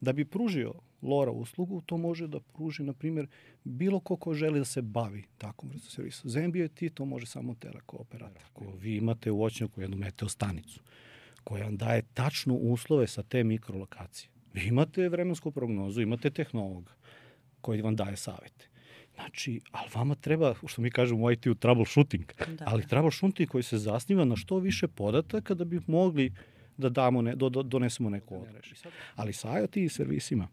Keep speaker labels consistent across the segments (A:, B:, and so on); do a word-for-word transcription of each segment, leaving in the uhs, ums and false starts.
A: Da bi pružio LoRa uslugu, to može da pruži, na primjer, bilo ko ko želi da se bavi takvom vrstom servisa. Za N B I T to može samo teleko operator. Ako vi imate u voćnjaku jednu meteostanicu koja vam daje tačno uslove sa te mikrolokacije. Vi imate vremensku prognozu, imate tehnologa koji vam daje savete. Znači, ali vama treba, što mi kažemo u I T-u, troubleshooting, da. ali troubleshooting koji se zasniva na što više podataka da bi mogli da damo ne, do, do, donesemo neku odrešu. Ali sa IoT servisima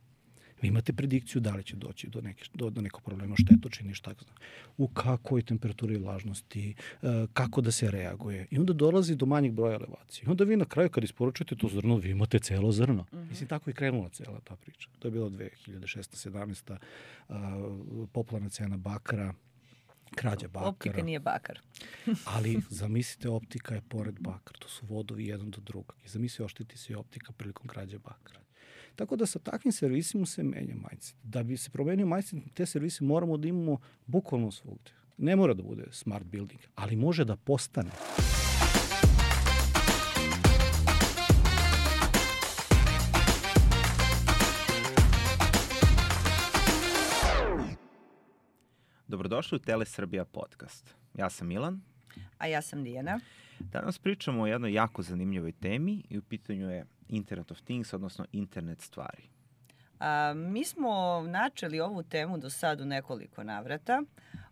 A: vi imate predikciju da li će doći do, neke, do, do nekog problema štetočine, šta zna, u kakvoj temperaturi vlažnosti, kako da se reaguje. I onda dolazi do manjeg broja elevacije. I onda vi na kraju kad isporučujete to zrno, vi imate celo zrno. Mm-hmm. Mislim, tako je krenula cela ta priča. To je bilo dve hiljade šesnaeste sedamnaeste. Uh, popularna cena bakra, krađa bakara.
B: Optika nije bakar.
A: Ali zamislite, optika je pored bakra. To su vodovi jedan do drugog. I zamislite, ošteti se i optika prilikom krađe bakra. Tako da sa takvim servisima se menja mindset. Da bi se promenio mindset, te servise moramo da imamo bukvalno svugde. Ne mora da bude smart building, ali može da postane.
C: Dobrodošli u Telesrbija podcast. Ja sam Milan.
B: A ja sam Dijana.
C: Danas pričamo o jednoj jako zanimljivoj temi i u pitanju je Internet of Things, odnosno internet stvari.
B: A, mi smo načeli ovu temu do sad u nekoliko navrata,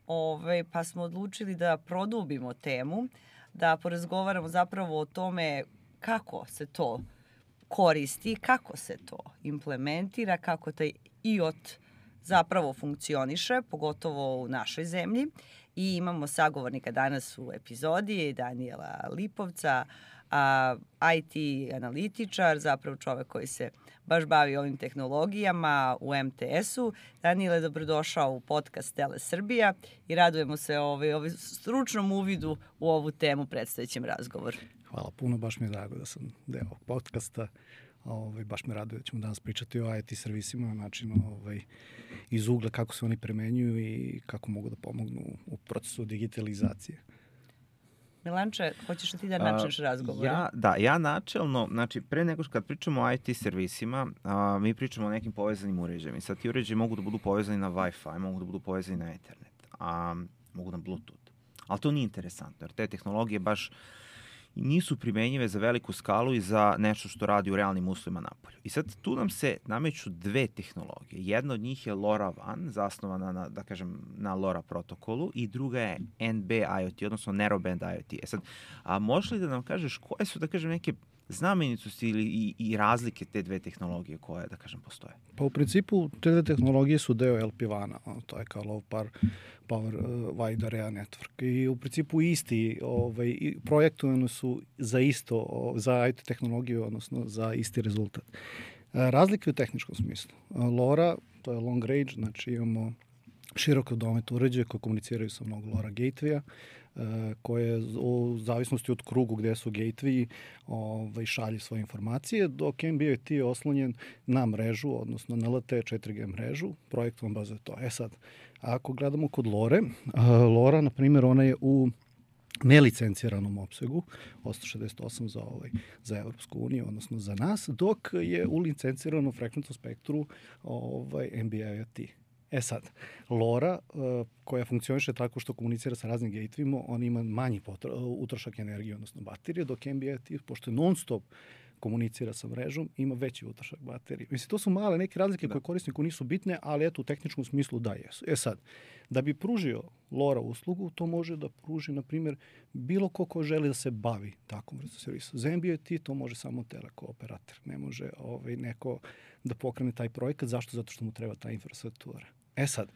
B: ove, pa smo odlučili da produbimo temu, da porazgovaramo zapravo o tome kako se to koristi, kako se to implementira, kako taj I O T zapravo funkcioniše, pogotovo u našoj zemlji. I imamo sagovornika danas u epizodi, Danijela Lipovca, a, I T analitičar, zapravo čovek koji se baš bavi ovim tehnologijama u M T S-u. Danijele, dobrodošao u podcast Telesrbija i radujemo se ovaj, ovaj stručnom uvidu u ovu temu predstavljećem razgovor.
A: Hvala puno, baš mi je drago da sam deo ovog podcasta. Ovaj, baš me raduje da ćemo danas pričati o I T servisima na način ovaj, iz ugla kako se oni premenjuju i kako mogu da pomognu u procesu digitalizacije.
B: Milanče, hoćeš li ti da načneš razgovor?
C: Ja, da, ja načelno, znači pre nego što kad pričamo o I T servisima, a, mi pričamo o nekim povezanim uređajima. I sad ti uređaji mogu da budu povezani na Wi-Fi, mogu da budu povezani na Ethernet, a mogu na Bluetooth. Ali to nije interesantno, jer te tehnologije baš nisu primenjive za veliku skalu i za nešto što radi u realnim uslovima napolju. I sad tu nam se nameću dve tehnologije. Jedna od njih je LoRaWAN, zasnovana na, da kažem, na LoRa protokolu, i druga je N B I O T, odnosno Narrowband I O T. E sad, a možeš li da nam kažeš koje su, da kažem, neke znamenitosti ili i, i razlike te dve tehnologije koje, da kažem, postoje?
A: Pa u principu te dve tehnologije su deo L P WAN-a, to je kao Low Power, power uh, Wide Area Network. I u principu isti, ovaj, projektovani su za isto, za I T tehnologiju, odnosno za isti rezultat. Razlike u tehničkom smislu. LoRa, to je long range, znači imamo široko domet uređaje koje komuniciraju sa mnogo LoRa gateway-a, koje u zavisnosti od krugu gde su gateway ovaj, šalje svoje informacije, dok N B I O T je oslonjen na mrežu, odnosno na L T E četiri G mrežu, projektovan baš za to. E sad, ako gledamo kod LoRe, LoRa, na primjer, ona je u nelicenciranom opsegu, osto šezdeset osam za, ovaj, za Evropsku uniju, odnosno za nas, dok je u licenciranom frekventnom spektru ovaj, N B I O T. E sad, LoRa, uh, koja funkcioniše tako što komunicira sa raznim gatewayima, on ima manji potra, utrošak energije, odnosno baterije, dok N B I O T, pošto je non-stop komunicira sa mrežom, ima veći utrošak baterije. Mislim, to su male neke razlike da. koje korisniku nisu bitne, ali eto, u tehničkom smislu da jesu. E sad, da bi pružio LoRa uslugu, to može da pruži, na primjer, bilo ko ko želi da se bavi takvom vrstom servisa. Za N B I O T to može samo teleko operator. Ne može ovaj, neko da pokrene taj projekat. Zašto? Zato što mu treba ta infrastruktura. E sad,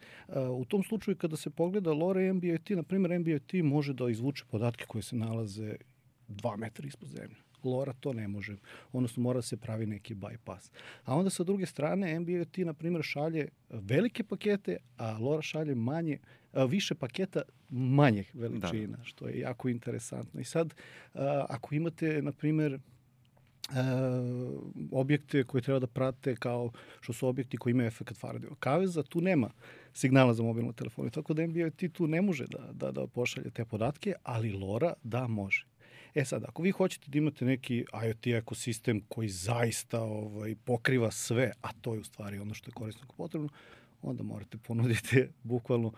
A: u tom slučaju kada se pogleda LoRa i N B I O T, na primjer, N B I O T može da izvuče podatke koje se nalaze dva metra ispod zemlje. LoRa to ne može, odnosno mora da se pravi neki bypass. A onda sa druge strane N B I O T, na primjer, šalje velike pakete, a LoRa šalje manje, više paketa manjih veličina, da. Što je jako interesantno. I sad, ako imate, na primjer, Uh, objekte koje treba da prate kao što su objekti koji imaju efekat Faradayeva kaveza, tu nema signala za mobilnu telefonu. Tako da N B I O T tu ne može da, da, da pošalje te podatke, ali LoRa da može. E sad, ako vi hoćete da imate neki IoT ekosistem koji zaista ovaj, pokriva sve, a to je u stvari ono što je korisniku potrebno, onda morate ponuditi bukvalno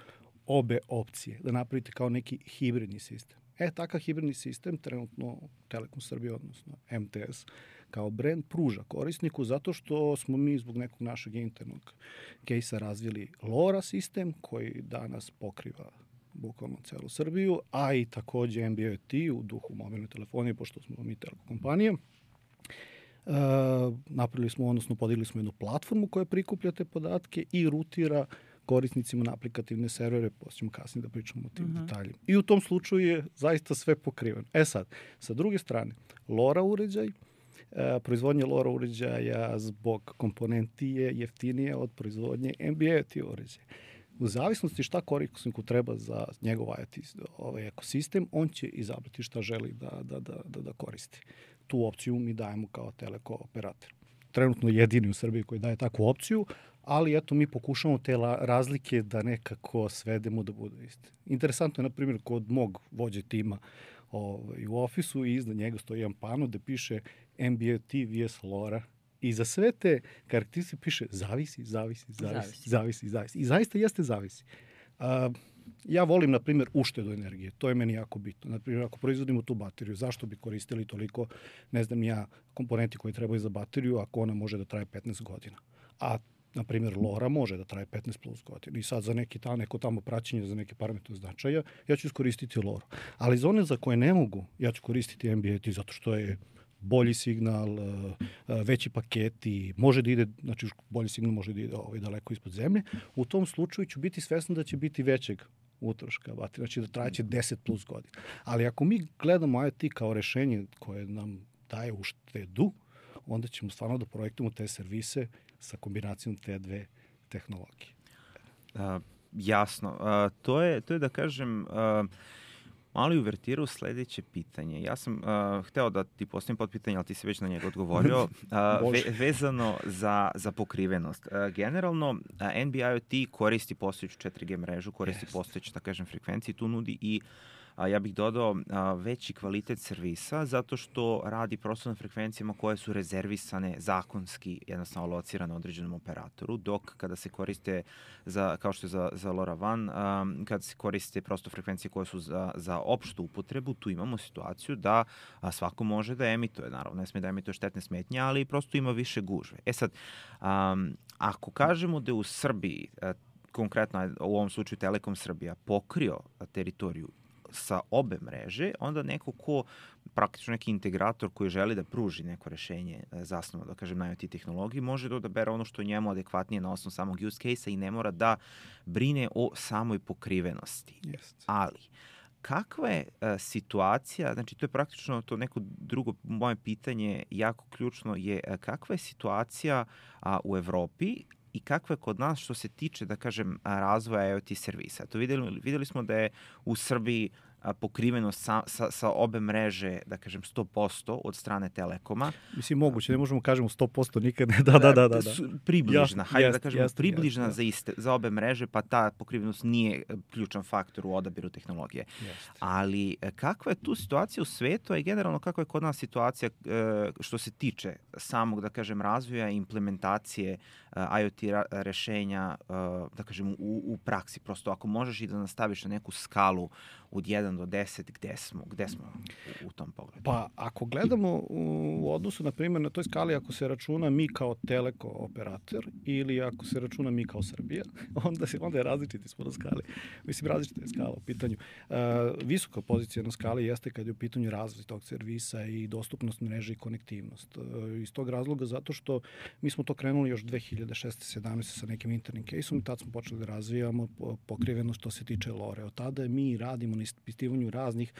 A: obe opcije, da napravite kao neki hibridni sistem. E, takav hibridni sistem trenutno Telekom Srbije, odnosno M T S, kao brand pruža korisniku zato što smo mi zbog nekog našeg internog kejsa razvili LoRa sistem koji danas pokriva bukvalno celu Srbiju, a i takođe M B I O T u duhu mobilne telefonije, pošto smo mi telekom kompanija. E, napravili smo, odnosno podigli smo jednu platformu koja prikuplja te podatke i rutira korisnicima na aplikativne servere, posljedno kasnije da pričamo o tim uh-huh. detaljima. I u tom slučaju je zaista sve pokriveno. E sad, sa druge strane, LoRa uređaj, e, proizvodnje LoRa uređaja zbog komponenti je jeftinije od proizvodnje M B I O T uređaja. U zavisnosti šta korisniku treba za njegov IoT ovaj ekosistem, on će izabrati šta želi da, da, da, da, da koristi. Tu opciju mi dajemo kao teleko operator. Trenutno jedini u Srbiji koji daje takvu opciju, ali eto mi pokušamo te razlike da nekako svedemo da budu iste. Interesantno je, na primjer, kod mog vođe tima ovaj, u ofisu i iznad njega stoji jedan pano da piše M B I O T vs LoRa. I za sve te karakteristike piše zavisi, zavisi, zavisi, zavisi, zavisi, zavisi. I zaista jeste zavisi. Uh, ja volim, na primjer, uštedu energije. To je meni jako bitno. Na primjer, ako proizvodimo tu bateriju, zašto bi koristili toliko, ne znam ja, komponenti koji trebaju za bateriju ako ona može da traje petnaest godina. A na primjer, LoRa može da traje petnaest plus godina. I sad za neki ta, neko tamo praćenje, za neke parametre značaja, ja ću iskoristiti LoRa. Ali za one za koje ne mogu, ja ću koristiti M B I O T zato što je bolji signal, veći paketi, može da ide, znači bolji signal može da ide ovaj, daleko ispod zemlje. U tom slučaju ću biti svestan da će biti većeg utroška baterije, znači da trajeće deset plus godina. Ali ako mi gledamo IoT kao rešenje koje nam daje uštedu, onda ćemo stvarno da projektujemo te servise sa kombinacijom te dve tehnologije.
C: Uh, jasno. Uh, to, je, to je da kažem... Uh, mali uvertiru sledeće pitanje. Ja sam uh, hteo da ti postavim podpitanje, ali ti si već na njega odgovorio, uh, ve, vezano za, za pokrivenost. Uh, generalno, uh, N B I O T koristi postojeću četiri G mrežu, koristi yes. postojeću, da kažem, frekvenciju, tu nudi i a ja bih dodao a, veći kvalitet servisa zato što radi prosto na frekvencijama koje su rezervisane zakonski, jednostavno locirane određenom operatoru, dok kada se koriste, za, kao što je za, za LoRaWAN, a, kada se koriste prosto frekvencije koje su za, za opštu upotrebu, tu imamo situaciju da a, svako može da emituje, naravno ne sme da emituje štetne smetnje, ali prosto ima više gužve. E sad, a, ako kažemo da je u Srbiji, a, konkretno u ovom slučaju Telekom Srbija, pokrio teritoriju sa obe mreže, onda neko ko, praktično neki integrator koji želi da pruži neko rešenje zasnovano, da kažem, na IoT tehnologiji, može da odabere ono što njemu adekvatnije na osnovu samog use case-a i ne mora da brine o samoj pokrivenosti.
A: Yes.
C: Ali, kakva je a, situacija, znači to je praktično to neko drugo moje pitanje, jako ključno je a, kakva je situacija a, u Evropi i kakva je kod nas što se tiče, da kažem, razvoja IoT servisa. To videli, videli smo da je u Srbiji pokrivenost sa, sa, sa obe mreže, da kažem, sto posto od strane Telekoma.
A: Mislim, moguće, ne možemo kažemo sto posto nikad. Da, da, da. da, da.
C: Približna,
A: ja,
C: hajde
A: jest,
C: da kažemo,
A: jest,
C: približna
A: jest,
C: za, iste, za obe mreže, pa ta pokrivenost nije ključan faktor u odabiru tehnologije.
A: Jest.
C: Ali kakva je tu situacija u svetu, a i generalno kakva je kod nas situacija što se tiče samog, da kažem, razvoja i implementacije IoT rešenja, da kažem, u, u praksi. Prosto ako možeš i da nastaviš na neku skalu od jedan do deset, gde smo, gde smo u, u tom pogledu?
A: Pa ako gledamo u odnosu, na primjer, na toj skali, ako se računa mi kao teleko operator ili ako se računa mi kao Srbija, onda, se, onda je različiti smo na skali. Mislim, različita je skala u pitanju. Uh, visoka pozicija na skali jeste kad je u pitanju razvoj tog servisa i dostupnost mreže i konektivnost. Uh, iz tog razloga zato što mi smo to krenuli još dve hiljade šesnaeste sedamnaeste sa nekim internim kejsom i tad smo počeli da razvijamo pokrivenost što se tiče LoRe. Od tada mi radimo na ispitivanju raznih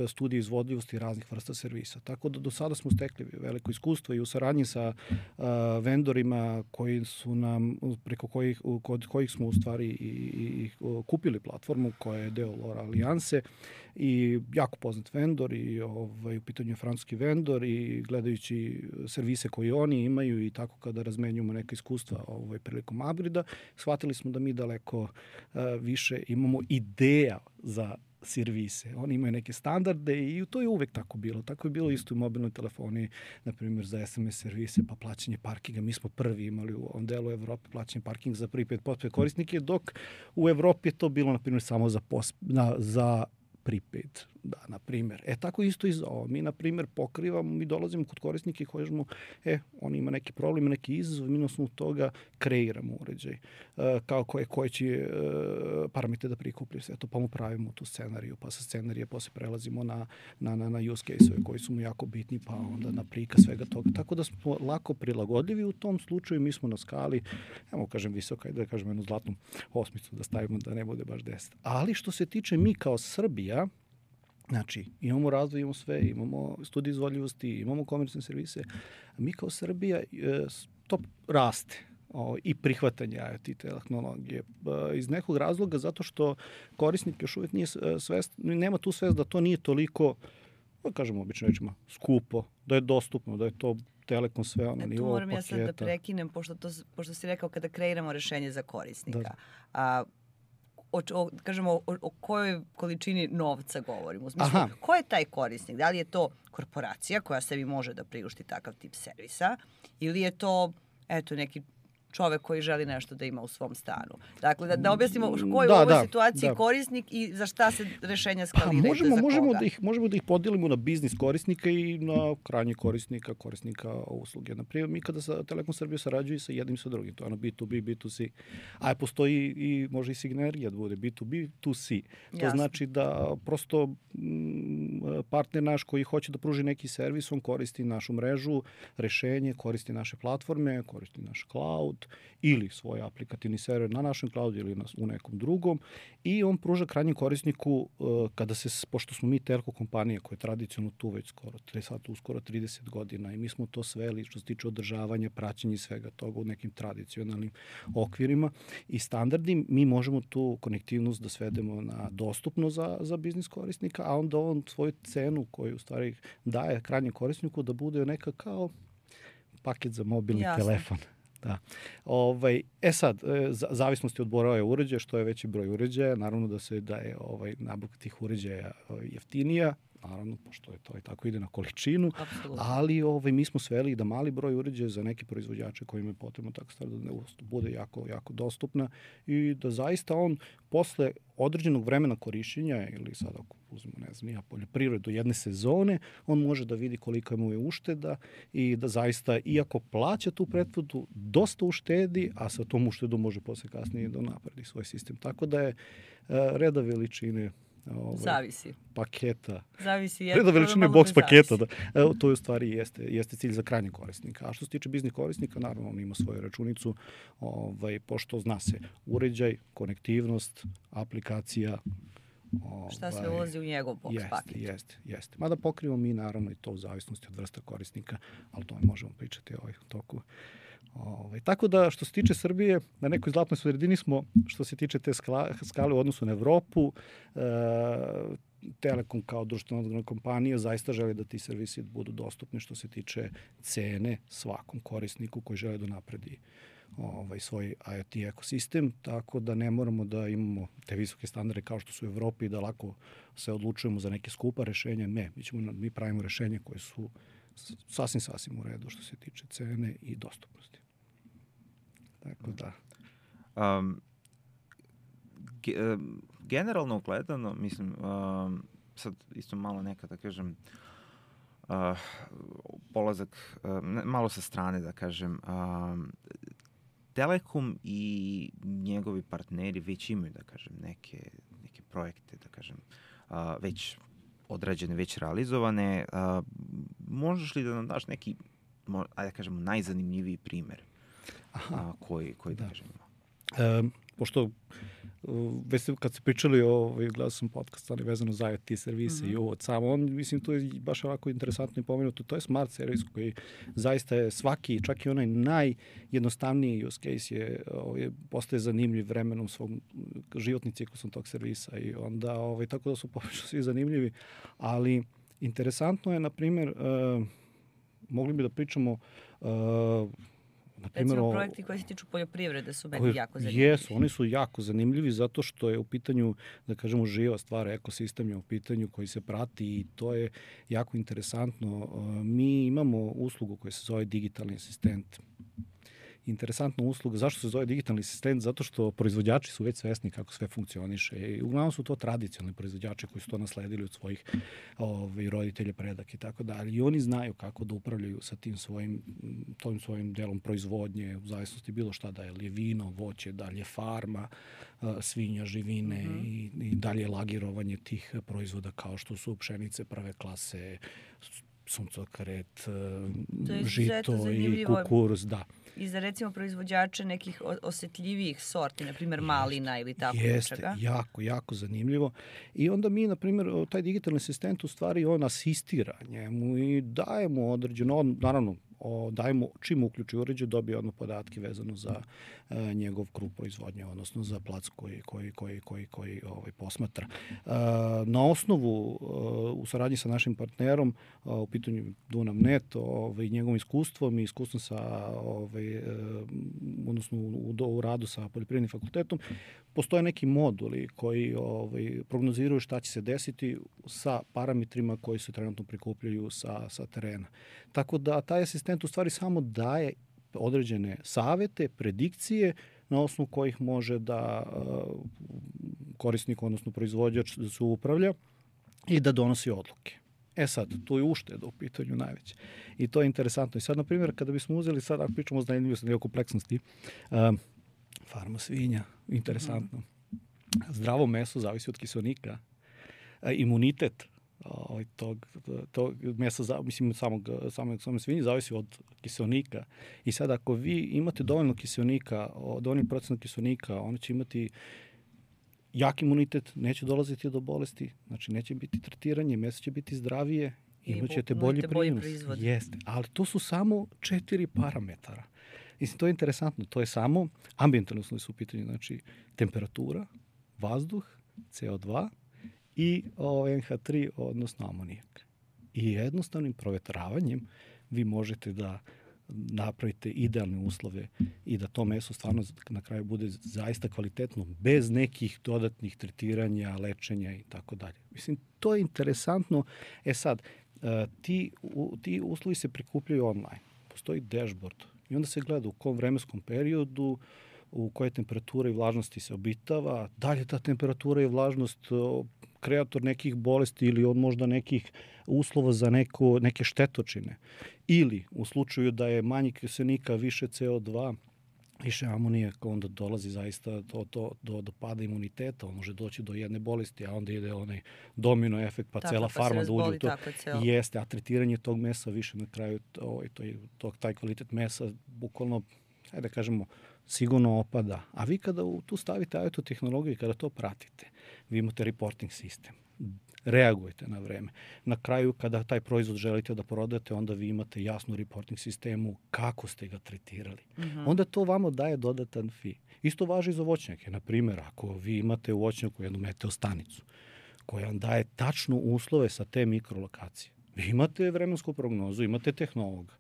A: studija izvodljivosti raznih vrsta servisa. Tako da do sada smo stekli veliko iskustvo i u saradnji sa uh, vendorima koji su nam, preko kojih, kod kojih smo u stvari i, i, i kupili platformu koja je deo LoRa alijanse i jako poznat vendor i ovaj, u pitanju je francuski vendor i gledajući servise koje oni imaju i tako kada razmenjujemo neka iskustva ovaj, prilikom upgrade-a, shvatili smo da mi daleko uh, više imamo ideja za servise. Oni imaju neke standarde i to je uvek tako bilo. Tako je bilo isto u mobilnoj telefoniji, na primjer za es em es servise, pa plaćanje parkinga. Mi smo prvi imali u ovom delu Evrope plaćanje parkinga za prvi pet posto korisnike, dok u Evropi je to bilo, na primjer, samo za, pos, na, za prepaid, da, na primjer. E, tako isto i za ovo. Mi, na primjer, pokrivamo, mi dolazimo kod korisnika i kažemo, e, on ima neki problem, neki izazov, mi na osnovu toga kreiramo uređaj. E, kao koje, koje će e, parametre da prikuplju sve to, pa mu pravimo tu scenariju, pa sa scenarije posle prelazimo na, na, na, na use case-ove koji su mu jako bitni, pa onda na prikaz svega toga. Tako da smo lako prilagodljivi u tom slučaju, mi smo na skali, evo kažem visoka, da kažem jednu zlatnu osmicu da stavimo da ne bude baš deset. Ali što se tiče mi kao Srbija, znači, imamo razvoj, imamo sve, imamo studije izvodljivosti, imamo komercijalne servise. A mi kao Srbija e, to raste o, i prihvatanje I O T tehnologije. E, iz nekog razloga zato što korisnik još uvijek nije svest, nema tu svest da to nije toliko, da kažemo obično rečima, skupo, da je dostupno, da je to Telekom sve ono nivo paketa.
B: Tu moram ja sad da prekinem, pošto, to, pošto si rekao kada kreiramo rešenje za korisnika. Da. A, O, o, kažemo, o, o kojoj količini novca govorimo. Mislim, ko je taj korisnik? Da li je to korporacija koja sebi može da priušti takav tip servisa ili je to, eto, neki čovek koji želi nešto da ima u svom stanu. Dakle, da, da objasnimo ko je da, u ovoj da, situaciji da. korisnik i za šta se rešenja skaliraju.
A: Možemo,
B: za
A: možemo,
B: koga.
A: Da ih, možemo da ih podelimo na biznis korisnika i na krajnji korisnika, korisnika usluge. Naprimjer, mi kada sa Telekom Srbije sarađuju sa jednim sa drugim, to je ono B to B, B to C. A postoji i može i sinergija da bude B to B, to C. To Jasne. Znači da prosto m, partner naš koji hoće da pruži neki servis, on koristi našu mrežu, rešenje, koristi naše platforme, koristi naš cloud, ili svoj aplikativni server na našem cloudu ili na, u nekom drugom i on pruža krajnjem korisniku uh, kada se, pošto smo mi telko kompanija koja je tradicionalno tu već skoro, sad uskoro trideset godina i mi smo to sveli što se tiče održavanja, praćenja i svega toga u nekim tradicionalnim okvirima i standardi, mi možemo tu konektivnost da svedemo na dostupno za, za biznis korisnika, a onda on svoju cenu koju u stvari daje krajnjem korisniku da bude neka kao paket za mobilni Jasne. telefon. Da. Ovaj, e sad, e, zavisnosti od broja uređaja, što je veći broj uređaja, naravno da se da je ovaj, nabavka tih uređaja jeftinija, naravno, pošto je to i tako ide na količinu, Absolutno. ali ovaj, mi smo sveli da mali broj uređaja za neke proizvođače kojima je potrebno tako stvar da bude jako, jako dostupna i da zaista on posle određenog vremena korišćenja ili sad ako uzmemo, ne znam, ja poljoprivredu jedne sezone, on može da vidi koliko mu je ušteda i da zaista, iako plaća tu pretvodu, dosta uštedi, a sa tom uštedom može posle kasnije da napredi svoj sistem. Tako da je uh, reda veličine Ovaj,
B: zavisi.
A: paketa.
B: Zavisi.
A: Reda veličine box paketa. Da. Evo, to je u stvari jeste, jeste cilj za krajnjeg korisnika. A što se tiče biznis korisnika, naravno on ima svoju računicu, ovaj, pošto zna se uređaj, konektivnost, aplikacija.
B: Ovaj, Šta sve ulazi u njegov box
A: jeste,
B: paket.
A: Jeste, jeste. Mada pokrivamo mi naravno i to u zavisnosti od vrsta korisnika, ali to možemo pričati ovaj toku. Ovaj, tako da što se tiče Srbije, na nekoj zlatnoj sredini smo, što se tiče te skala, skale u odnosu na Evropu, e, Telekom kao društvena kompanija zaista želi da ti servisi budu dostupni što se tiče cene svakom korisniku koji želi da napredi ovaj, svoj I O T ekosistem, tako da ne moramo da imamo te visoke standarde kao što su u Evropi, da lako se odlučujemo za neke skupa rešenja. Ne, mi, ćemo, mi pravimo rešenje koje su sasvim, sasvim u redu što se tiče cene i dostupnosti. Tako da.
C: Um, ge, generalno gledano, mislim, um, sad isto malo neka, da kažem, uh, polazak, uh, malo sa strane, da kažem, um, Telekom i njegovi partneri već imaju, da kažem, neke, neke projekte, da kažem, uh, već odrađene, već realizovane. Uh, možeš li da nam daš neki, ajde da kažemo, najzanimljiviji primer Aha, koji, koji da, da kažemo?
A: E, pošto već kad se pričali o, gledao sam podcast, ali vezano za I O T servise mm-hmm. i ovo samo, on, mislim, to je baš ovako interesantno i pomenuto, to je smart servis koji zaista je svaki, čak i onaj najjednostavniji use case je, je postaje zanimljiv vremenom svog životni ciklusom tog servisa i onda, ovaj, tako da su poprilično svi zanimljivi, ali interesantno je, na primjer, uh, mogli bi da pričamo uh, Naprimjer,
B: Recimo, projekti koji se tiču poljoprivrede su meni
A: koji,
B: jako zanimljivi.
A: Jesu, oni su jako zanimljivi zato što je u pitanju, da kažemo, živa stvar, ekosistem je u pitanju koji se prati i to je jako interesantno. Mi imamo uslugu koja se zove digitalni asistent. Interesantna usluga. Zašto se zove digitalni asistent? Zato što proizvođači su već svesni kako sve funkcioniše. I uglavnom su to tradicionalni proizvođači koji su to nasledili od svojih ovaj, roditelja, predak i tako dalje. I oni znaju kako da upravljaju sa tim svojim, tom svojim delom proizvodnje, u zavisnosti bilo šta, da je li je vino, voće, da li je farma, svinja, živine mm-hmm. i, i dalje lagirovanje tih proizvoda kao što su pšenice prve klase, suncokaret, žito i kukuruz, da.
B: I za recimo proizvođače nekih osetljivijih sorti, na primjer malina ili tako
A: Jeste,
B: nečega.
A: jako, jako zanimljivo. I onda mi, na primjer, taj digitalni asistent u stvari on asistira njemu i dajemo određeno, on, naravno, o, dajemo, čim uključi uređaj, dobije odmah podatke vezano za e, njegov krug proizvodnje, odnosno za plac koji, koji, koji, koji, koji ovaj, posmatra. E, na osnovu, e, u saradnji sa našim partnerom, e, u pitanju Dunav punkt net, ovaj, njegovim iskustvom i iskustvom sa, ovaj, e, odnosno u, u, u radu sa Poljoprivrednim fakultetom, postoje neki moduli koji ovaj, prognoziraju šta će se desiti sa parametrima koji se trenutno prikupljaju sa, sa terena. Tako da taj asistent u stvari samo daje određene savete, predikcije na osnovu kojih može da uh, korisnik, odnosno proizvođač da se upravlja i da donosi odluke. E sad, tu je ušteda u pitanju najveće. I to je interesantno. I sad, na primjer, kada bismo uzeli, sad ako pričamo o zanimljivosti, o kompleksnosti, uh, farma svinja, interesantno. Mm-hmm. Zdravo meso zavisi od kiselnika. Uh, imunitet Ovaj, tog, tog mesa, za, mislim, samog, samog, samog svinje zavisi od kiselnika. I sad ako vi imate dovoljno kiselnika, dovoljno procent kiselnika, oni će imati jak imunitet, neće dolaziti do bolesti, znači neće biti tretiranje, meso će biti zdravije, imat ćete bolji prinos. Jeste, ali to su samo četiri parametara. Mislim, to je interesantno, to je samo ambijentalne uslovi su u pitanju, znači temperatura, vazduh, C O dva, i o, en ha tri, odnosno amonijak. I jednostavnim provetravanjem vi možete da napravite idealne uslove i da to meso stvarno na kraju bude zaista kvalitetno, bez nekih dodatnih tretiranja, lečenja i tako dalje. Mislim, to je interesantno. E sad, ti, ti uslovi se prikupljaju online. Postoji dashboard i onda se gleda u kom vremenskom periodu, u koje temperature i vlažnosti se obitava, da li je ta temperatura i vlažnost kreator nekih bolesti ili od možda nekih uslova za neko, neke štetočine. Ili u slučaju da je manje kiselnika, više C O dva, više amonijaka, onda dolazi zaista do, do, do, do pada imuniteta, on može doći do jedne bolesti, a onda ide onaj domino efekt, pa tako, cela pa farma da uđe u to. Jeste, a tretiranje tog mesa više na kraju, to, to, to, taj kvalitet mesa, bukvalno, ajde da kažemo, sigurno opada. A vi kada tu stavite I O T tehnologiju i kada to pratite, vi imate reporting sistem. Reagujete na vreme. Na kraju, kada taj proizvod želite da prodate, onda vi imate jasnu reporting sistemu kako ste ga tretirali. Uh-huh. Onda to vama daje dodatan fee. Isto važi i za voćnjake. Na primjer, ako vi imate u voćnjaku jednu meteostanicu koja vam daje tačno uslove sa te mikrolokacije. Vi imate vremensku prognozu, imate tehnologa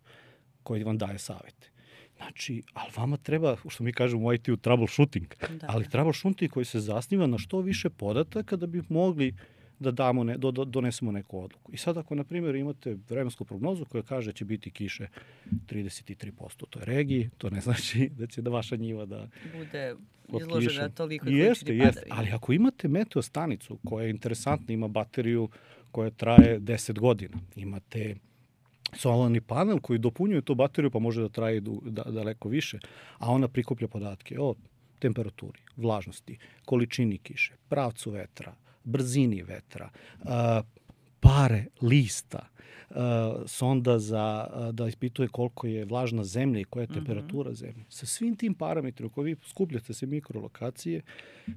A: koji vam daje savete. Znači, ali vama treba, što mi kažemo u I T-u, troubleshooting, da. ali troubleshooting koji se zasniva na što više podataka da bi mogli da damo ne, do, do, donesemo neku odluku. I sad ako, na primjer, imate vremensku prognozu koja kaže da će biti kiše trideset tri posto u toj regiji, to ne znači da će da vaša njiva da
B: bude izložena toliko i
A: jeste,
B: količini
A: jeste.
B: padavina.
A: Ali ako imate meteostanicu koja je interesantna, ima bateriju koja traje deset godina, imate solarni panel koji dopunjuje tu bateriju pa može da traje da, daleko više, a ona prikuplja podatke o temperaturi, vlažnosti, količini kiše, pravcu vetra, brzini vetra, uh, pare lista, uh, sonda za, uh, da ispituje koliko je vlažna zemlja i koja je temperatura mm-hmm. zemlje. Sa svim tim parametrima koji vi skupljate se mikrolokacije,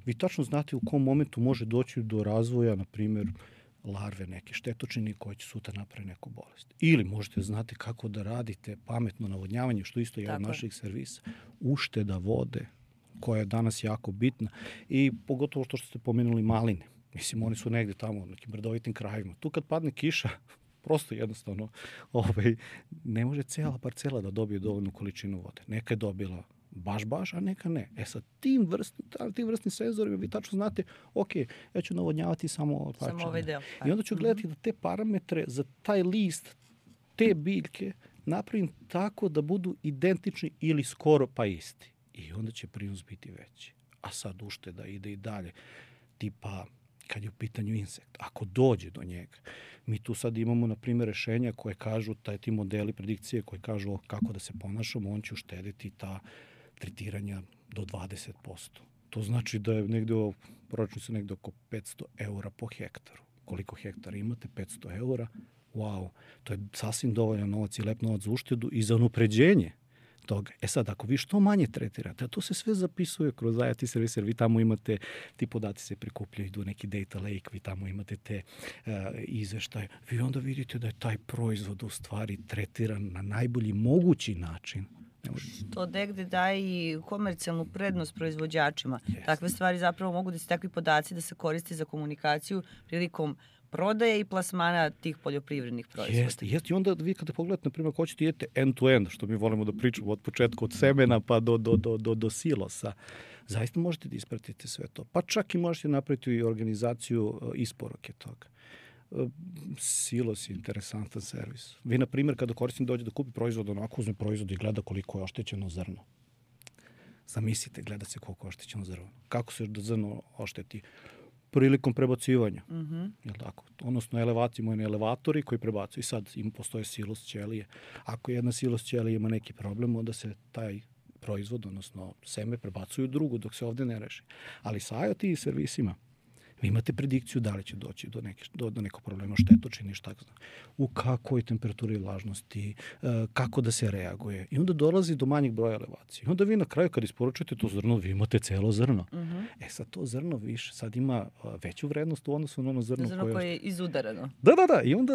A: vi tačno znate u kom momentu može doći do razvoja, na primjer, larve neke štetočine koje će sutra napraviti neku bolest. Ili možete znati kako da radite pametno navodnjavanje, što isto je od naših servisa. Ušteda vode, koja je danas jako bitna. I pogotovo što ste pomenuli maline. Mislim, oni su negde tamo u nekim brdovitim krajevima. Tu kad padne kiša, Prosto jednostavno ovaj, ne može cijela parcela da dobije dovoljnu količinu vode. Neka je dobila baš, baš, a neka ne. E sa tim vrstnim, tim vrstnim senzorima vi tačno znate, ok, ja ću navodnjavati samo,
B: samo ovaj deo.
A: I onda ću gledati da te parametre za taj list, te biljke, napravim tako da budu identični ili skoro pa isti. I onda će prinos biti veći. A sad ušteda ide i dalje. Tipa, kad je u pitanju insekt, ako dođe do njega, mi tu sad imamo, na primjer, rešenja koje kažu, taj, ti modeli predikcije koje kažu kako da se ponašamo, on će uštediti ta tretiranja do dvadeset posto. To znači da je negde, proračuni su negde oko petsto eura po hektaru. Koliko hektara imate? petsto eura. Wow, to je sasvim dovoljan novac i lep novac za uštedu i za unapređenje toga. E sad, ako vi što manje tretirate, a to se sve zapisuje kroz I O T servis, jer vi tamo imate, ti podaci se prikupljaju, idu neki data lake, vi tamo imate te uh, izveštaje, vi onda vidite da je taj proizvod u stvari tretiran na najbolji mogući način.
B: Što negde daje i komercijalnu prednost proizvođačima.
A: Yes.
B: Takve stvari zapravo mogu da se takvi podaci da se koriste za komunikaciju prilikom prodaje i plasmana tih poljoprivrednih proizvoda.
A: Jeste, jeste. I onda vi kada pogledate, na primjer, ako hoćete idete end-to-end, što mi volimo da pričamo od početka, od semena pa do, do, do, do, do silosa, zaista možete da ispratite sve to. Pa čak i možete napraviti i organizaciju isporuke toga. Silos je interesantan servis. Vi, na primjer, kada korisnik dođe da kupi proizvod, onako uzme proizvod i gleda koliko je oštećeno zrno. Zamislite, gleda se koliko je oštećeno zrno. Kako se da zrno ošteti? Prilikom prebacivanja.
B: Mm-hmm.
A: Jel tako? Odnosno, elevaci, imaju elevatori koji prebacuju. I sad im postoje silos ćelije. Ako jedna silos ćelije ima neki problem, onda se taj proizvod, odnosno seme, prebacuju u drugu dok se ovde ne reši. Ali sa I O T servisima vi imate predikciju da li će doći do, neke, do, do nekog problema štetočine i šta zna. U kakvoj temperaturi vlažnosti, kako da se reaguje. I onda dolazi do manjeg broja elevacije. I onda vi na kraju kad isporučujete to zrno, vi imate celo zrno.
B: Mm-hmm.
A: E sad to zrno više sad ima veću vrednost u odnosu na ono zrno,
B: zrno koje, koje je izudarano.
A: Da, da, da. I onda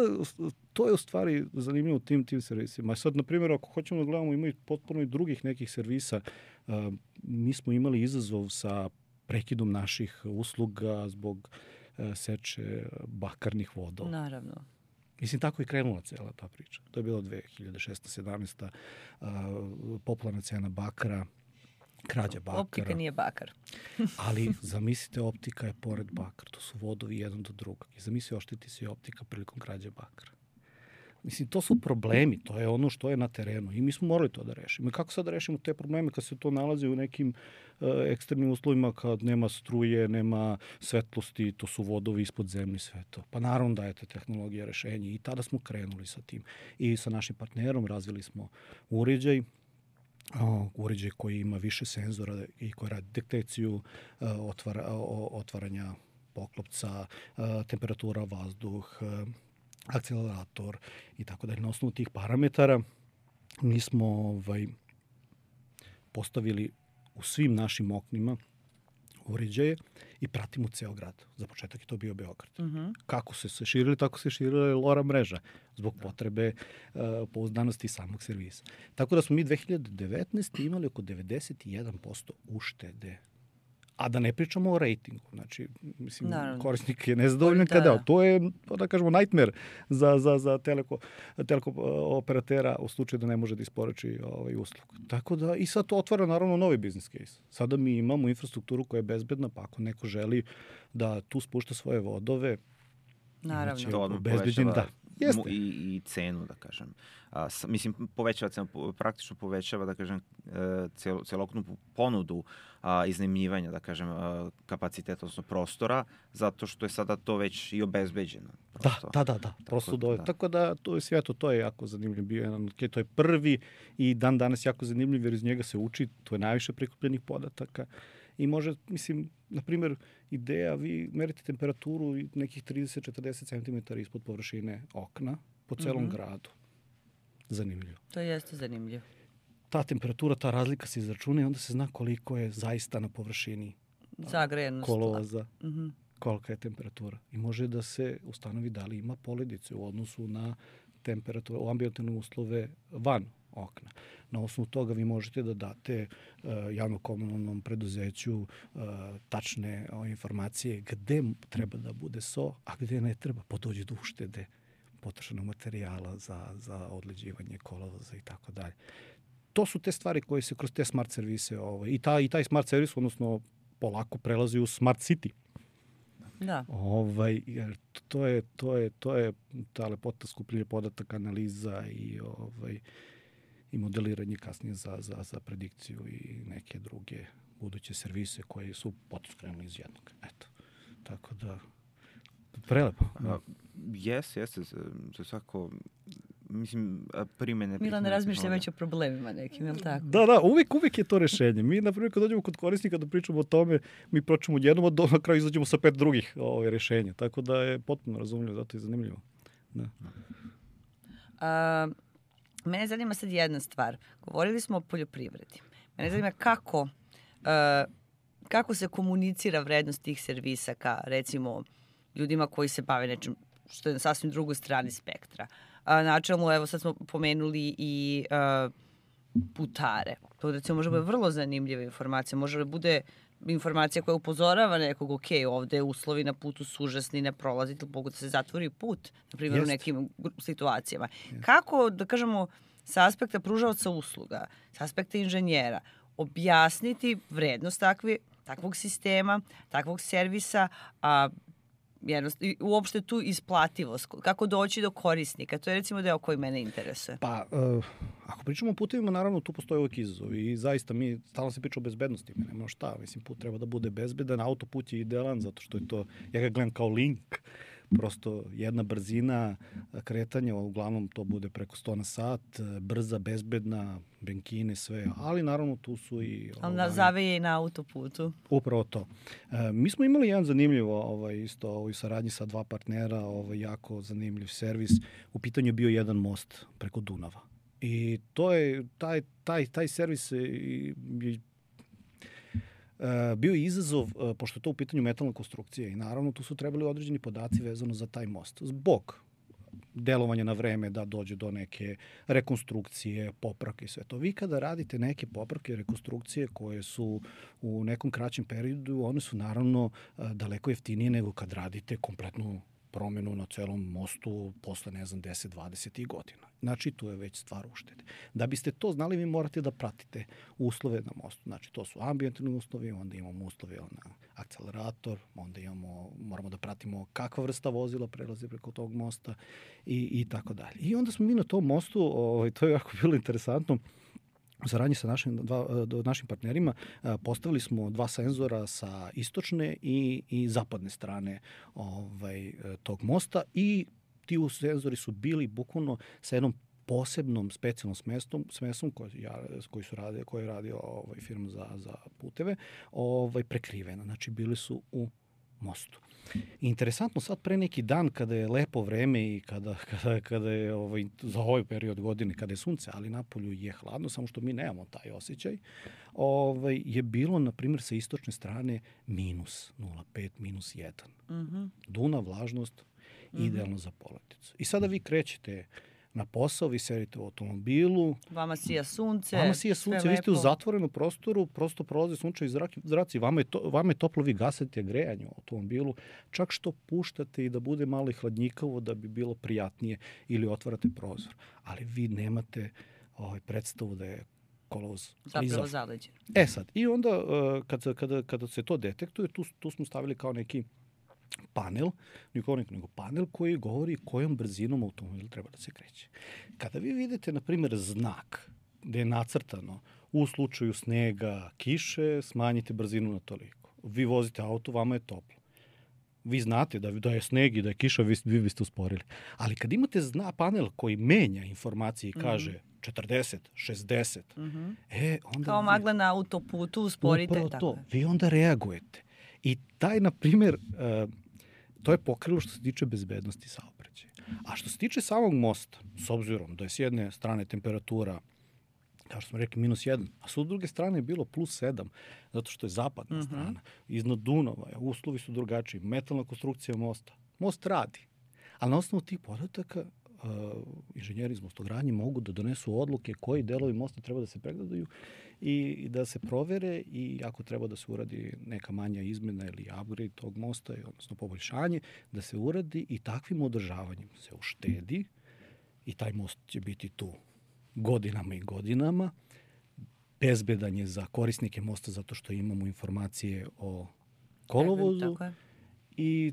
A: to je u stvari zanimljivo u tim, tim servisima. Sad, na primjer, ako hoćemo da gledamo, ima i potpuno i drugih nekih servisa. Uh, mi smo imali izazov sa prekidom naših usluga zbog uh, seče bakarnih vodova.
B: Naravno.
A: Mislim, tako je krenula cijela ta priča. To je bilo dve hiljade šesnaesta sedamnaesta. Uh, popularna cena bakara, krađa bakara.
B: Optika nije bakar.
A: Ali zamislite, optika je pored bakara. To su vodovi jedan do drugog. I zamisli, ošteti se i optika prilikom krađe bakara. Mislim, to su problemi, to je ono što je na terenu i mi smo morali to da rešimo. I kako sad da rešimo te probleme kad se to nalazi u nekim uh, ekstremnim uslovima, kad nema struje, nema svetlosti, to su vodovi ispod zemlje, sve to. Pa naravno dajete tehnologija rešenja i tada smo krenuli sa tim. I sa našim partnerom razvili smo uređaj, uh, uređaj koji ima više senzora i koji radi detekciju uh, otvara, uh, otvaranja poklopca, uh, temperatura, vazduh, uh, akcelerator i tako dalje. Na osnovu tih parametara mi smo ovaj, postavili u svim našim oknima uređaje i pratimo ceo grad. Za početak je to bio Beograd.
B: Mm-hmm.
A: Kako se se širili, tako se širila LoRa mreža zbog potrebe uh, pouzdanosti samog servisa. Tako da smo mi dve hiljade devetnaeste. imali oko devedeset jedan posto uštede. A da ne pričamo o rejtingu. Znači, mislim, naravno, korisnik je nezadovoljan da, kada. Da. To je, da kažemo, nightmare za, za, za teleko, teleko operatera u slučaju da ne može da isporuči ovaj uslugu. Tako da, i sad to otvara naravno novi business case. Sada mi imamo infrastrukturu koja je bezbedna, pa ako neko želi da tu spušta svoje vodove,
B: naravno,
C: to odmah povećava da. I, i cenu, da kažem. A, s, mislim, povećava cenu, praktično povećava, da kažem, cel, celokupnu ponudu a, iznajmljivanja, da kažem, a, kapaciteta, odnosno prostora, zato što je sada to već i obezbeđeno.
A: Prosto. Da, da, da, da. Prosto tako, da. Tako da, to je svijeto, to je jako zanimljiv bio jedan, to je prvi i dan danas jako zanimljiv, jer iz njega se uči, to je najviše prikupljenih podataka. I može, mislim, na primjer, ideja, vi merite temperaturu nekih trideset do četrdeset centimetara ispod površine okna po celom mm-hmm. gradu. Zanimljivo.
B: To jeste zanimljivo.
A: Ta temperatura, ta razlika se izračuna i onda se zna koliko je zaista na površini
B: zagrejenost
A: kolovoza, mm-hmm. kolika je temperatura. I može da se ustanovi da li ima poledice u odnosu na temperaturu, u ambijentalne uslove van okna. Na osnovu toga vi možete da date uh, javno-komunalnom preduzeću uh, tačne uh, informacije gde treba da bude so, a gde ne treba, pa dođe do uštede potrošenog materijala za, za odleđivanje kolovoza i tako dalje. To su te stvari koje se kroz te smart servise ovaj, i, ta, i taj smart servis, odnosno polako prelazi u smart city.
B: Da.
A: Ovaj, jer to je, to je, to je ta lepota skupljanja podataka, analiza i, ovaj, i modeliranje kasnije za, za, za predikciju i neke druge buduće servise koje su potiskrenuli iz jednog. Eto. Tako da, prelepo. Da.
C: Jes, jeste, za svako, mislim, primene...
B: Milan razmišlja već o problemima nekim, je li tako?
A: Da, da, uvijek, uvijek je to rešenje. Mi, na primjer, kad dođemo kod korisnika da pričamo o tome, mi pročemo jednom, a do, na kraju izađemo sa pet drugih ove, rešenja. Tako da je potpuno razumljivo, zato je zanimljivo. Da.
B: A, mene zanima sad jedna stvar. Govorili smo o poljoprivredi. Mene zanima kako, a, kako se komunicira vrednost tih servisa ka, recimo, ljudima koji se bave nečim što je na sasvim drugoj strani spektra. A, načelno, evo sad smo pomenuli i a, putare. To recimo može bude vrlo zanimljiva informacija. Može da bude informacija koja upozorava nekog, ok, ovde uslovi na putu su užasni, ne prolazite, mogu da se zatvori put, na primjer u nekim situacijama. Jest. Kako, da kažemo, sa aspekta pružaoca usluga, sa aspekta inženjera, objasniti vrednost takve, takvog sistema, takvog servisa, a jednost, i uopšte tu isplativost, kako doći do korisnika. To je recimo deo koji mene interesuje.
A: Pa, uh, ako pričamo o putevima, naravno tu postoje uvijek izazovi i zaista mi stalno se priča o bezbednosti. Mi nema šta, mislim, put treba da bude bezbedan, autoput je idealan zato što je to, ja ga gledam kao link, prosto jedna brzina kretanja, uglavnom to bude preko sto na sat, brza, bezbedna, benkine, sve, ali naravno tu su i...
B: Ali ovaj, zaveje i na autoputu.
A: Upravo to. E, mi smo imali jedan zanimljiv ovaj, isto ovaj, saradnji sa dva partnera, ovaj, jako zanimljiv servis. U pitanju je bio jedan most preko Dunava. I to je, taj, taj, taj servis je Uh, bio je izazov, uh, pošto je to u pitanju metalna konstrukcija i naravno tu su trebali određeni podaci vezano za taj most. Zbog delovanja na vreme da dođe do neke rekonstrukcije, popravke i sve to. Vi kada radite neke popravke, rekonstrukcije koje su u nekom kraćem periodu, one su naravno uh, daleko jeftinije nego kad radite kompletnu promenu na celom mostu posle, ne znam, deset dvadeset godina. Znači, tu je već stvar uštede. Da biste to znali, vi morate da pratite uslove na mostu. Znači, to su ambijentalni uslovi, onda imamo uslove na akcelerator, onda imamo, moramo da pratimo kakva vrsta vozila prelazi preko tog mosta i, i tako dalje. I onda smo mi na tom mostu, ovaj, to je jako bilo interesantno, u saradnji sa našim, dva, našim partnerima postavili smo dva senzora sa istočne i, i zapadne strane ovaj, tog mosta i ti senzori su bili bukvalno sa jednom posebnom specijalnom smestom, smesom koji, ja, koji su radi, koji je radio ovaj, firma za, za puteve, ovaj, prekrivena. Znači, bili su u mostu. Interesantno, sad pre neki dan kada je lepo vreme i kada, kada, kada je ovaj, za ovaj period godine kada je sunce, ali napolju je hladno, samo što mi nemamo taj osjećaj, ovaj, je bilo, na primjer, sa istočne strane minus nula zarez pet, minus jedan. Mm-hmm. Dunav, vlažnost, mm-hmm. idealno za poleticu. I sada vi krećete na posao, vi sedite u automobilu.
B: Vama sija sunce.
A: Vama sija sunce, vi ste u zatvorenom prostoru, prosto prolaze sunčevi zraci, vama je, to, vama je toplo, vi gasite grejanje u automobilu, čak što puštate i da bude malo i hladnjikavo da bi bilo prijatnije ili otvarate prozor. Ali vi nemate ovaj, predstavu da je kolovoz
B: zapravo zaleđen.
A: E sad, i onda kada, kada, kada se to detektuje, tu, tu smo stavili kao neki panel, nikonik nego panel koji govori kojom brzinom automobil treba da se kreće. Kada vi vidite, na primjer, znak gde je nacrtano u slučaju snega, kiše, smanjite brzinu na toliko. Vi vozite auto, vama je toplo. Vi znate da, da je sneg i da je kiša, vi, vi biste usporili. Ali kad imate zna, panel koji menja informacije i kaže mm-hmm. četrdeset, šezdeset,
B: mm-hmm.
A: e, onda...
B: Kao
A: vi,
B: magla na autoputu, usporite.
A: Upravo to. Vi onda reagujete. I taj, na primjer, uh, to je pokrilo što se tiče bezbednosti saobraćaja. A što se tiče samog mosta, s obzirom da je s jedne strane temperatura, kao što smo rekli, minus jedan, a s druge strane je bilo plus sedam, zato što je zapadna mm-hmm. strana. Iznad Dunava je, uslovi su drugačiji, metalna konstrukcija mosta. Most radi. Ali na osnovu tih podataka uh, inženjeri iz mostogradnje mogu da donesu odluke koji delovi mosta treba da se pregledaju i da se provere i ako treba da se uradi neka manja izmena ili upgrade tog mosta, odnosno poboljšanje, da se uradi i takvim održavanjem se uštedi i taj most će biti tu godinama i godinama. Bezbedan je za korisnike mosta zato što imamo informacije o kolovozu i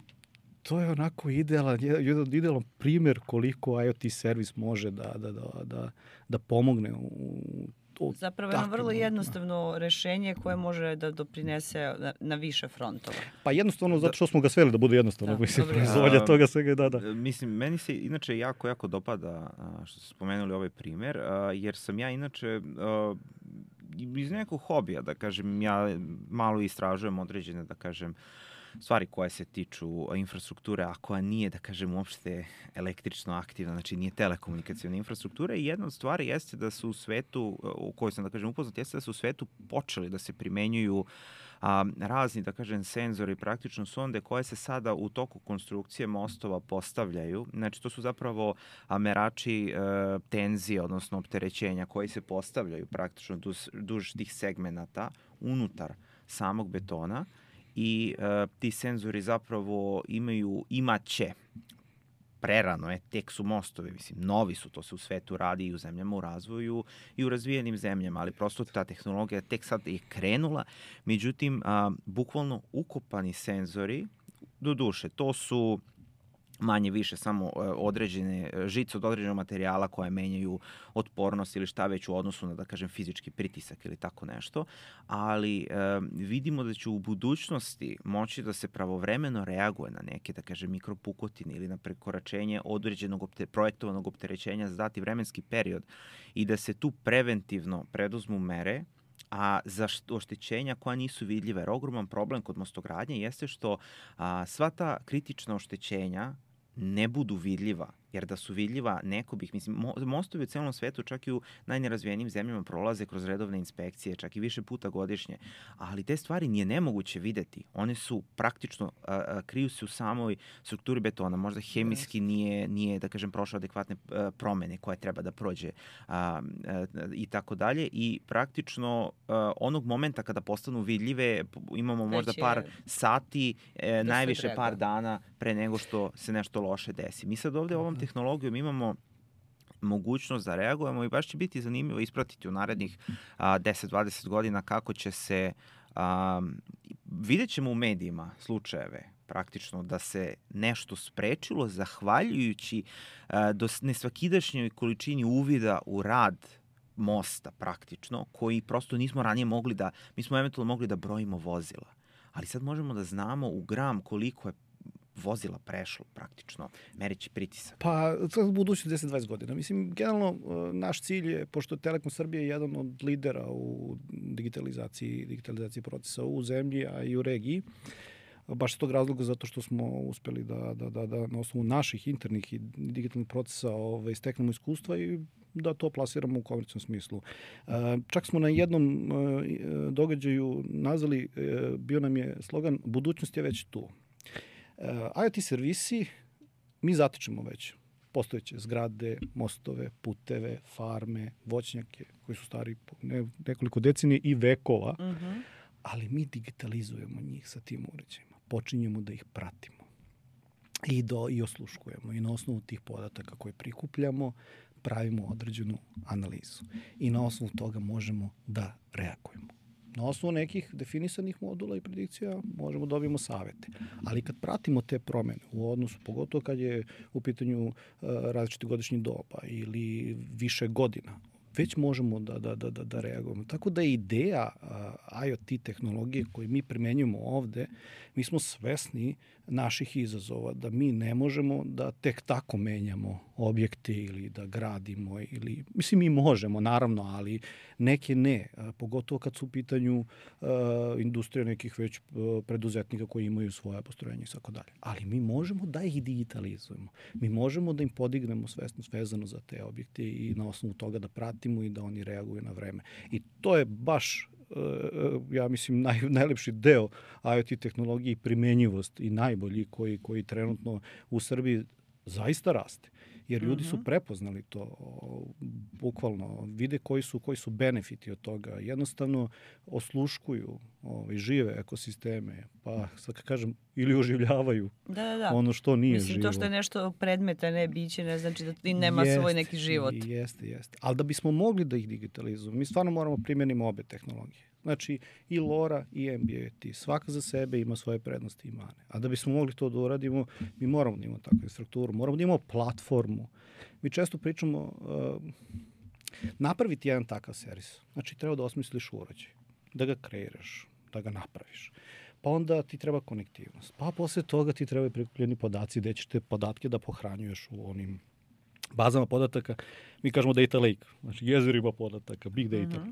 A: to je onako idealan, jedan idealan primjer koliko IoT servis može da, da, da, da, da pomogne u to.
B: Zapravo je vrlo jednostavno rešenje koje može da doprinese na, na više frontova.
A: Pa jednostavno zato što smo ga sveli da bude jednostavno. Da, mislim, proizvodnja toga svega, da, da.
C: Mislim, meni se inače jako, jako dopada što ste spomenuli ovaj primjer, jer sam ja inače iz nekog hobija, da kažem, ja malo istražujem određene, da kažem, stvari koje se tiču infrastrukture, a koja nije, da kažem, uopšte električno aktivna, znači nije telekomunikacijona infrastruktura i jedna od stvari jeste da su u svetu, u kojoj sam, da kažem, upoznat, jeste da su u svetu počeli da se primenjuju a, razni, da kažem, senzori, praktično sonde koje se sada u toku konstrukcije mostova postavljaju. Znači, to su zapravo a, merači e, tenzije, odnosno opterećenja koji se postavljaju praktično duž, duž tih segmenata unutar samog betona. I uh, ti senzori zapravo imaju, imaće, prerano je, tek su mostovi, mislim, novi su, to se u svetu radi i u zemljama u razvoju i u razvijenim zemljama, ali prosto ta tehnologija tek sad je krenula. Međutim, uh, bukvalno ukopani senzori, do duše, to su manje više samo određene žice od određenog materijala koje menjaju otpornost ili šta već u odnosu na, da kažem, fizički pritisak ili tako nešto, ali e, vidimo da će u budućnosti moći da se pravovremeno reaguje na neke, da kažem, mikropukotine ili na prekoračenje određenog opte, projektovanog opterećenja za dati vremenski period i da se tu preventivno preduzmu mere, a za oštećenja koja nisu vidljiva. Jer ogroman problem kod mostogradnje jeste što a, sva ta kritična oštećenja ne budu vidljiva, jer da su vidljiva, neko bih, mislim, mostovi u celom svetu, čak i u najnerazvijenijim zemljama prolaze kroz redovne inspekcije, čak i više puta godišnje, ali te stvari nije nemoguće videti. One su praktično, a, a, kriju se u samoj strukturi betona, možda hemijski nije, nije da kažem, prošao adekvatne a, promene koje treba da prođe a, a, i tako dalje i praktično a, onog momenta kada postanu vidljive, imamo možda par sati, e, najviše par dana pre nego što se nešto loše desi. Mi sad ovde ovom tehnologijom imamo mogućnost da reagujemo i baš će biti zanimljivo ispratiti u narednih a, deset do dvadeset godina kako će se, a, vidjet ćemo u medijima slučajeve praktično da se nešto sprečilo zahvaljujući a, do nesvakidašnjoj količini uvida u rad mosta praktično, koji prosto nismo ranije mogli da, mi smo eventualno mogli da brojimo vozila, ali sad možemo da znamo u gram koliko je vozila prešlo praktično, merići pritisak.
A: Pa, sad budući deset do dvadeset godina. Mislim, generalno, naš cilj je, pošto je Telekom Srbije jedan od lidera u digitalizaciji, digitalizaciji procesa u zemlji, a i u regiji, baš iz tog razloga zato što smo uspeli da, da, da, da na osnovu naših internih i digitalnih procesa ovaj, steknemo iskustva i da to plasiramo u komercijalnom smislu. Čak smo na jednom događaju nazvali, bio nam je slogan "Budućnost je već tu". IoT servisi mi zatičemo već postojeće zgrade, mostove, puteve, farme, voćnjake koji su stari ne, nekoliko decenije i vekova, uh-huh. ali mi digitalizujemo njih sa tim uređajima. Počinjemo da ih pratimo i, do, i osluškujemo i na osnovu tih podataka koje prikupljamo pravimo određenu analizu i na osnovu toga možemo da reagujemo. Na osnovu nekih definisanih modula i predikcija možemo da dobijemo savete. Ali kad pratimo te promene u odnosu, pogotovo kad je u pitanju uh, različite godišnje doba ili više godina, već možemo da, da, da, da reagujemo. Tako da je ideja uh, IoT tehnologije koju mi primenjujemo ovde, mi smo svesni naših izazova, da mi ne možemo da tek tako menjamo objekte ili da gradimo, ili, mislim, mi možemo, naravno, ali neke ne, uh, pogotovo kad su u pitanju uh, industrija nekih već uh, preduzetnika koji imaju svoje postrojenje i tako dalje. Ali mi možemo da ih digitalizujemo. Mi možemo da im podignemo svesnost vezano za te objekte i na osnovu toga da pratimo i da oni reaguju na vreme. I to je baš, ja mislim, naj, najlepši deo IoT tehnologije i primenjivost i najbolji koji, koji trenutno u Srbiji zaista raste. jer ljudi
B: Mhm.
A: su prepoznali to, o, bukvalno vide koji su koji su benefiti od toga. Jednostavno osluškuju, ovaj žive ekosisteme, pa sad kad kažem ili oživljavaju
B: Da, da, da.
A: ono što nije
B: Mislim,
A: živo.
B: to što je nešto predmeta, ne biće, ne znači da ti nema svoj neki život.
A: Jeste, jeste. Ali da bismo mogli da ih digitalizujemo, mi stvarno moramo primjenimo obe tehnologije. Znači, i LoRa i M B A T, svaka za sebe ima svoje prednosti i mane. A da bismo mogli to da uradimo, mi moramo da imamo takvu strukturu, moramo da imamo platformu. Mi često pričamo, uh, napraviti jedan takav servis. Znači, treba da osmisliš uređaj, da ga kreiraš, da ga napraviš. Pa onda ti treba konektivnost. Pa posle toga ti trebaju prikupljeni podaci gde ćeš te podatke da pohranjuješ u onim bazama podataka. Mi kažemo data lake, znači jezerima podataka, big data.
B: Mhm.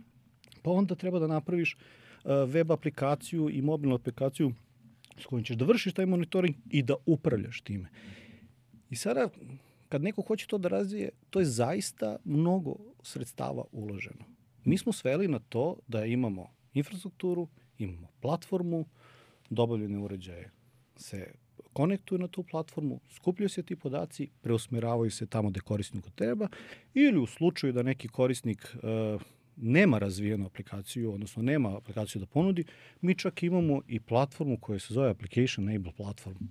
A: Pa onda treba da napraviš uh, web aplikaciju i mobilnu aplikaciju s kojom ćeš da vršiš taj monitoring i da upravljaš time. I sada, kad neko hoće to da razvije, to je zaista mnogo sredstava uloženo. Mi smo sveli na to da imamo infrastrukturu, imamo platformu, dobavljene uređaje se konektuju na tu platformu, skupljaju se ti podaci, preusmeravaju se tamo gde korisniku treba, ili u slučaju da neki korisnik uh, nema razvijenu aplikaciju, odnosno nema aplikaciju da ponudi, mi čak imamo i platformu koja se zove Application Enable Platform,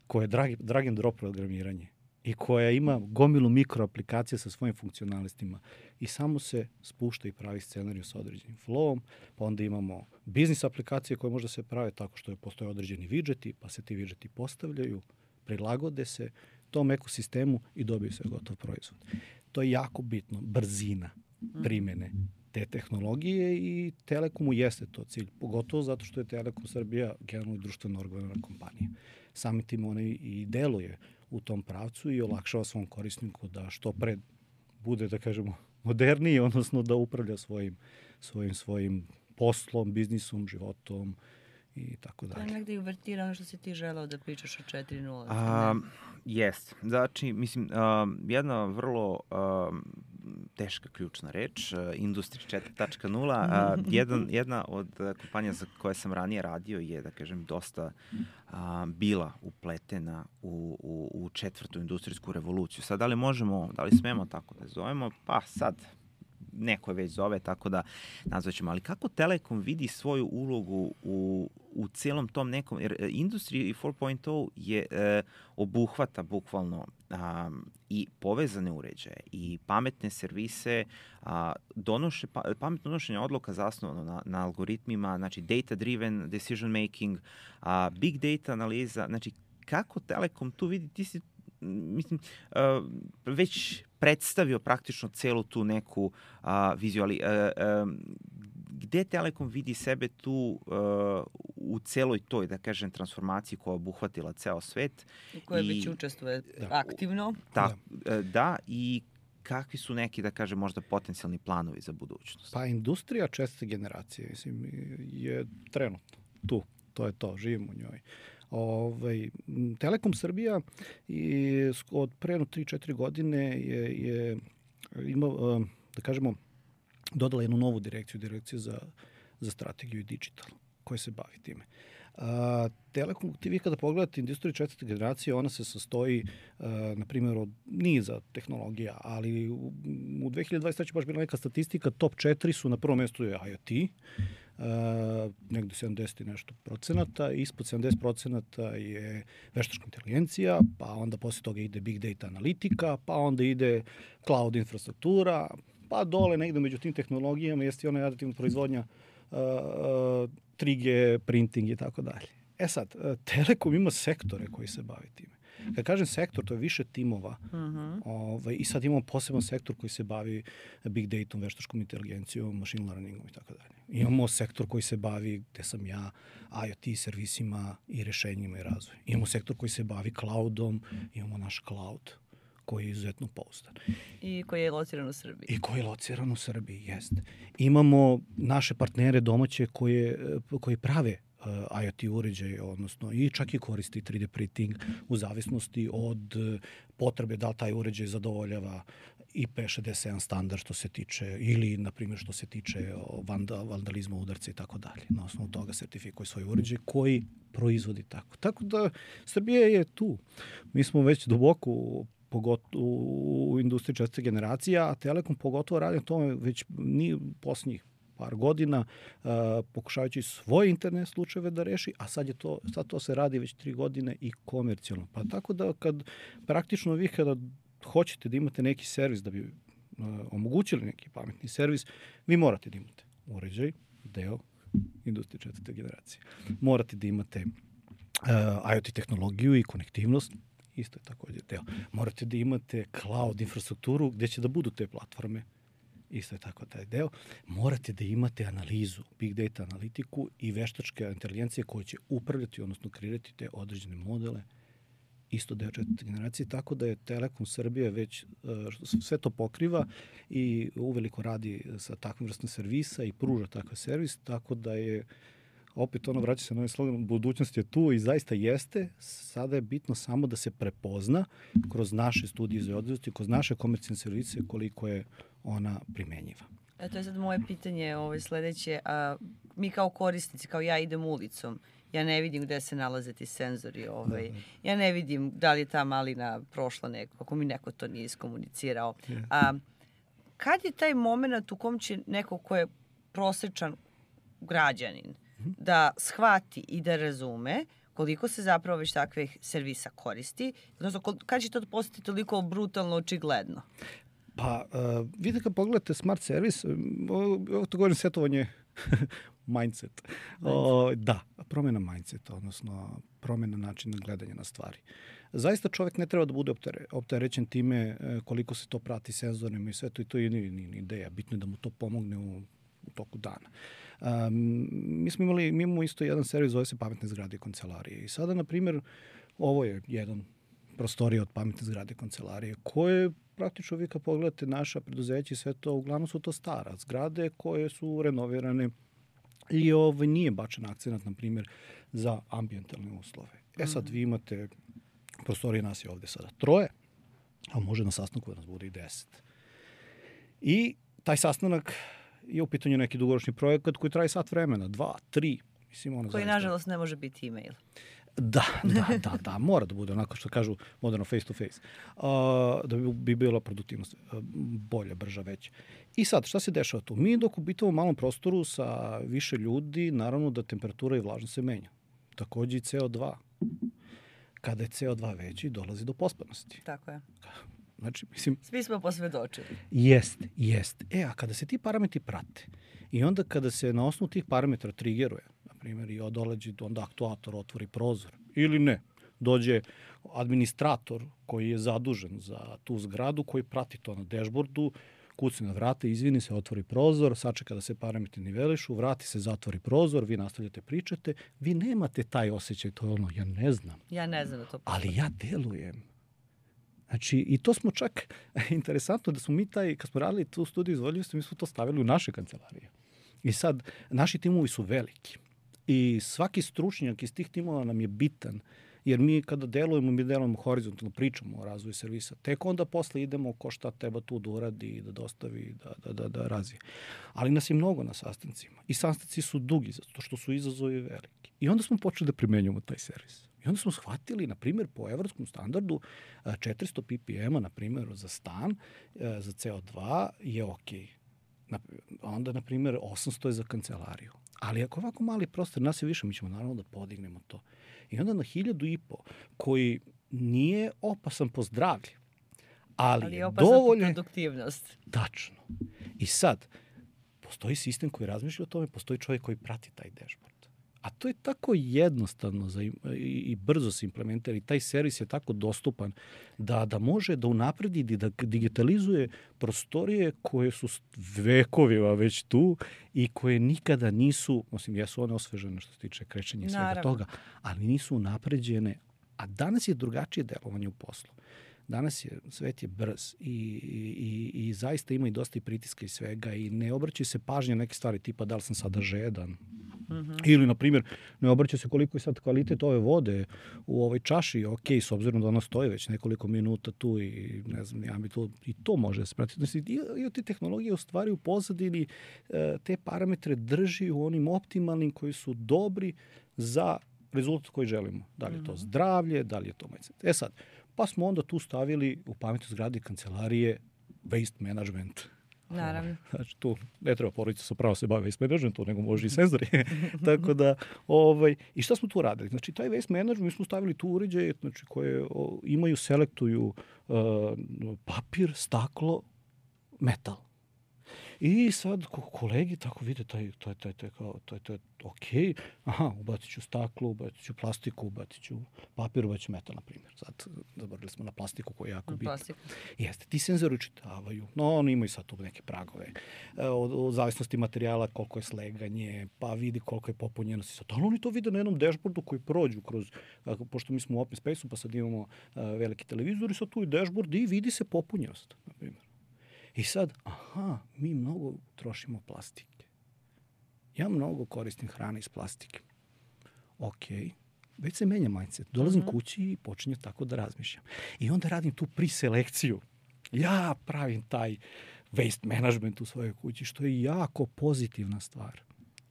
A: koja je drag, drag and drop programiranje i koja ima gomilu mikroaplikacija sa svojim funkcionalistima i samo se spušta i pravi scenariju sa određenim flowom, pa onda imamo biznis aplikacije koje možda se prave tako što je postoje određeni widgeti, pa se ti widgeti postavljaju, prilagode se tom ekosistemu i dobiju se gotov proizvod. To je jako bitno, brzina primene te tehnologije i Telekomu jeste to cilj, pogotovo zato što je Telekom Srbija generalno društveno odgovorna kompanija. Samim tim ona i deluje u tom pravcu i olakšava svom korisniku da što pre bude, da kažemo, moderniji, odnosno da upravlja svojim, svojim, svojim poslom, biznisom, životom i tako dalje.
B: To je negde uvertira ono što si ti želao da pričaš o četiri nula.
C: Um, Jest. Znači, mislim, um, jedna vrlo um, teška ključna reč, uh, Industry četiri tačka nula. Uh, jedan, jedna od uh, kompanija za koje sam ranije radio je, da kažem, dosta uh, bila upletena u, u, u četvrtu industrijsku revoluciju. Sad, da li možemo, da li smemo tako da zovemo? Pa sad, neko je već zove, tako da nazvaćemo. Ali kako Telekom vidi svoju ulogu u, u celom tom nekom, jer Industry četiri tačka nula je e, obuhvata bukvalno a, i povezane uređaje i pametne servise, a, donoše, pa, pametno donošenje odluka zasnovano na, na algoritmima, znači data-driven decision making, a, big data analiza, znači kako Telekom tu vidi, ti si mislim, uh, već predstavio praktično celu tu neku uh, viziju, ali uh, um, gde Telekom vidi sebe tu uh, u celoj toj, da kažem, transformaciji koja je obuhvatila ceo svet?
B: U kojoj već učestvuje da. aktivno.
C: Ta, da. da, i kakvi su neki, da kažem, možda potencijalni planovi za budućnost?
A: Pa industrija četvrte generacije, mislim, je trenutno tu. To je to, živimo u njoj. Ovaj, Telekom Srbija i od pre tri četiri godine je, je ima, da kažemo, dodala jednu novu direkciju, direkciju za, za strategiju i digital, koja se bavi time. A, Telekom, ti vi kada pogledate industriju četvrte generacije, ona se sastoji, a, na primjer, od niza tehnologija, ali u, u dve hiljade dvadeset treće baš bila neka statistika, top četiri su na prvom mjestu je IoT, Uh, negde sedamdeset i nešto procenata, ispod sedamdeset procenata je veštačka inteligencija, pa onda posle toga ide big data analitika, pa onda ide cloud infrastruktura, pa dole negde među tim tehnologijama jeste i ona aditivna proizvodnja, uh, uh, tri G, printing i tako dalje. E sad, uh, Telekom ima sektore koji se bavi time. Kad kažem sektor, to je više timova. Uh-huh. Ovaj, I sad imamo poseban sektor koji se bavi big datom, veštačkom inteligencijom, machine learningom i tako dalje. Imamo sektor koji se bavi, gde sam ja, IoT servisima i rešenjima i razvoju. Imamo sektor koji se bavi cloudom, imamo naš cloud koji je izuzetno pouzdan.
B: I koji je lociran u Srbiji.
A: I koji je lociran u Srbiji, jeste. Imamo naše partnere domaće koje, koji prave Uh, IoT uređaje, odnosno i čak i koristi tri D printing u zavisnosti od uh, potrebe da li taj uređaj zadovoljava I P šezdeset sedam standard što se tiče, ili, na primjer, što se tiče vanda, vandalizma, udarca i tako dalje. Na osnovu toga sertifikuje svoj uređaj koji proizvodi tako. Tako da Srbija je tu. Mi smo već duboko pogotovo u industriji četvrte generacije, a Telekom pogotovo radi na tome već ni posljednjih par godina, uh, pokušavajući svoje interne slučajeve da reši, a sad, je to, sad to se radi već tri godine i komercijalno. Pa tako da kad praktično vi kada hoćete da imate neki servis, da bi uh, omogućili neki pametni servis, vi morate da imate uređaj, deo industrije četvrte generacije. Morate da imate uh, IoT tehnologiju i konektivnost, isto je također deo. Morate da imate cloud infrastrukturu gde će da budu te platforme, isto je tako taj deo. Morate da imate analizu, big data analitiku i veštačke inteligencije koje će upravljati, odnosno kreirati te određene modele, isto deo četvrte generacije, tako da je Telekom Srbije već uh, sve to pokriva i uveliko radi sa takvim vrstom servisa i pruža takav servis, tako da je opet ono vraća se na ovaj slogan, budućnost je tu i zaista jeste, sada je bitno samo da se prepozna kroz naše studije za određenosti, kroz naše komercijalne servise koliko je ona primenjiva.
B: E, to je sad moje pitanje ovaj, sledeće. A, mi kao korisnici, kao ja idem ulicom, ja ne vidim gde se nalaze ti senzori. Ovaj. Ja ne vidim da li je ta malina prošla neko, ako mi neko to nije iskomunicirao. A, kad je taj moment u kom će neko ko je prosečan građanin da shvati i da razume koliko se zapravo već takvih servisa koristi, odnosno kad će to postati toliko brutalno očigledno?
A: Pa, uh, vidite kad pogledate smart servis, ovo to govorim setovanje mindset. O, da, promjena mindseta, odnosno promjena načina gledanja na stvari. Zaista čovjek ne treba da bude optere, opterećen time koliko se to prati senzorima i sve to, i to je ni, ni, ni ideja. Bitno je da mu to pomogne u, u toku dana. Um, mi smo imali, mi imamo isto jedan servis, zove se pametne zgrade i kancelarije. I sada, na primjer, ovo je jedan prostorija od pametne zgrade kancelarije, koje praktično vi kad pogledate naša preduzeća i sve to, uglavnom su to stara zgrade koje su renovirane i ovaj, nije bačen akcenat, na primjer, za ambijentalne uslove. E sad, vi imate, prostorije nas je ovde sada troje, a može na sastanku da nas bude i deset. I taj sastanak je u pitanju neki dugoročni projekat koji traje sat vremena, dva, tri. Mislim, ono
B: koji,
A: zaista,
B: nažalost, ne može biti e-mail.
A: Da, da, da, da, mora da bude onako što kažu moderno face to face. Uh, da bi, bi bila produktivnost uh, bolja, brža, veća. I sad, šta se dešava tu? Mi dok ubitamo u malom prostoru sa više ljudi, naravno da temperatura i vlažnost se menja. Takođe i C O dva. Kada je C O dva veći, dolazi do pospanosti.
B: Tako je.
A: Znači, mislim...
B: Svi smo posvedočili.
A: Jeste, jeste. E, a kada se ti parametri prate i onda kada se na osnovu tih parametra trigeruje, na primjer, i odolađi, onda aktuator otvori prozor, ili ne, dođe administrator koji je zadužen za tu zgradu, koji prati to na dashboardu, kuci na vrate, izvini se, otvori prozor, sačeka da se parametri nivelišu, vrati se, zatvori prozor, vi nastavljate pričate, vi nemate taj osjećaj, to je ono, ja ne znam.
B: Ja ne znam da to postoji.
A: Ali ja delujem. Znači, i to smo čak, interesantno da smo mi taj, kad smo radili tu studiju izvodljivosti, mi smo to stavili u naše kancelarije. I sad, naši timovi su veliki. I svaki stručnjak iz tih timova nam je bitan, jer mi kada delujemo, mi delujemo horizontalno, pričamo o razvoju servisa. Tek onda posle idemo ko šta treba tu da uradi, da dostavi, da, da, da, da razvije. Ali nas je mnogo na sastancima. I sastanci su dugi, zato što su izazovi veliki. I onda smo počeli da primenjujemo taj servis. I onda smo shvatili, na primjer, po evropskom standardu četiristo ppm-a, na primjer, za stan, za C O dva je okej. Onda, na primjer, osamsto je za kancelariju. Ali ako ovako mali prostor, nas je više, mi ćemo naravno da podignemo to. I onda na hiljadu i po, koji nije opasan po zdravlje, ali, ali je opasan dovoljno...
B: po produktivnost.
A: Tačno. I sad, postoji sistem koji razmišlja o tome, postoji čovjek koji prati taj dashboard. A to je tako jednostavno za, i, i brzo se implementira i taj servis je tako dostupan da, da može da unapredi i da digitalizuje prostorije koje su vekovima već tu i koje nikada nisu, osim jesu one osvežene što se tiče krećenja i svega Naravno. toga, ali nisu unapređene. A danas je drugačije delovanje u poslu. Danas je, svet je brz i, i, i zaista ima i dosta i pritiska i svega i ne obraća se pažnja neke stvari tipa da li sam sada žedan. Mm-hmm. Ili, na primjer, ne obraća se koliko je sad kvalitet ove vode u ovoj čaši, ok, s obzirom da ona stoji već nekoliko minuta tu i ne znam, ja mi to, i to može se pratiti. Znači, i od te tehnologije u stvari u pozadini te parametre drži u onim optimalnim koji su dobri za rezultat koji želimo. Da li je to zdravlje, da li je to mindset. E sad, pa smo onda tu stavili u pametnoj zgradi kancelarije waste management.
B: Naravno.
A: Znači, tu ne treba porodica sa pravo se bavi waste managementom, nego može i senzori. Tako da, ovaj, i šta smo tu radili? Znači, taj waste management, mi smo stavili tu uređaje, znači, koje o, imaju, selektuju uh, papir, staklo, metal. I sad kolegi tako vide taj, taj, taj, taj, kao, taj, taj, ok, aha, ubacit ću staklo, ubacit ću plastiku, ubacit ću papir, ubacit ću metal, na primjer. Sad zaboravili smo na plastiku koja je jako bitna. Jeste, ti senzori učitavaju, no oni imaju sad tu neke pragove, od, od zavisnosti materijala, koliko je sleganje, pa vidi koliko je popunjenost. Sad, ali oni to vide na jednom dashboardu koji prođu kroz, pošto mi smo u Open Space-u, pa sad imamo a, veliki televizor i sad tu je dashboard i vidi se popunjenost, na primjer. I sad, aha, mi mnogo trošimo plastike. Ja mnogo koristim hrane iz plastike. Ok, već se menja mindset. Dolazim mm-hmm. kući i počinjem tako da razmišljam. I onda radim tu priselekciju. Ja pravim taj waste management u svojoj kući, što je jako pozitivna stvar.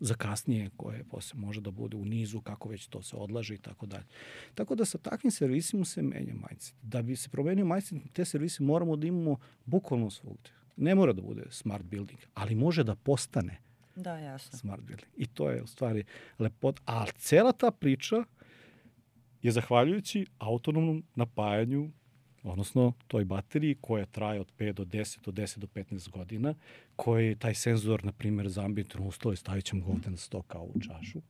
A: Za kasnije, koje posle može da bude u nizu, kako već to se odlaže i tako dalje. Tako da sa takvim servisima se menja mindset. Da bi se promenio mindset, te servise moramo da imamo bukvalno svugde. Ne mora da bude smart building, ali može da postane
B: da, jasno.
A: Smart building. I to je u stvari lepota. A cela ta priča je zahvaljujući autonomnom napajanju, odnosno toj bateriji koja traje od pet do deset, od deset do petnaest godina, koji taj senzor, na primjer, za ambijentalne uslove, stavit ćemo ga ovde na sto kao u čašu,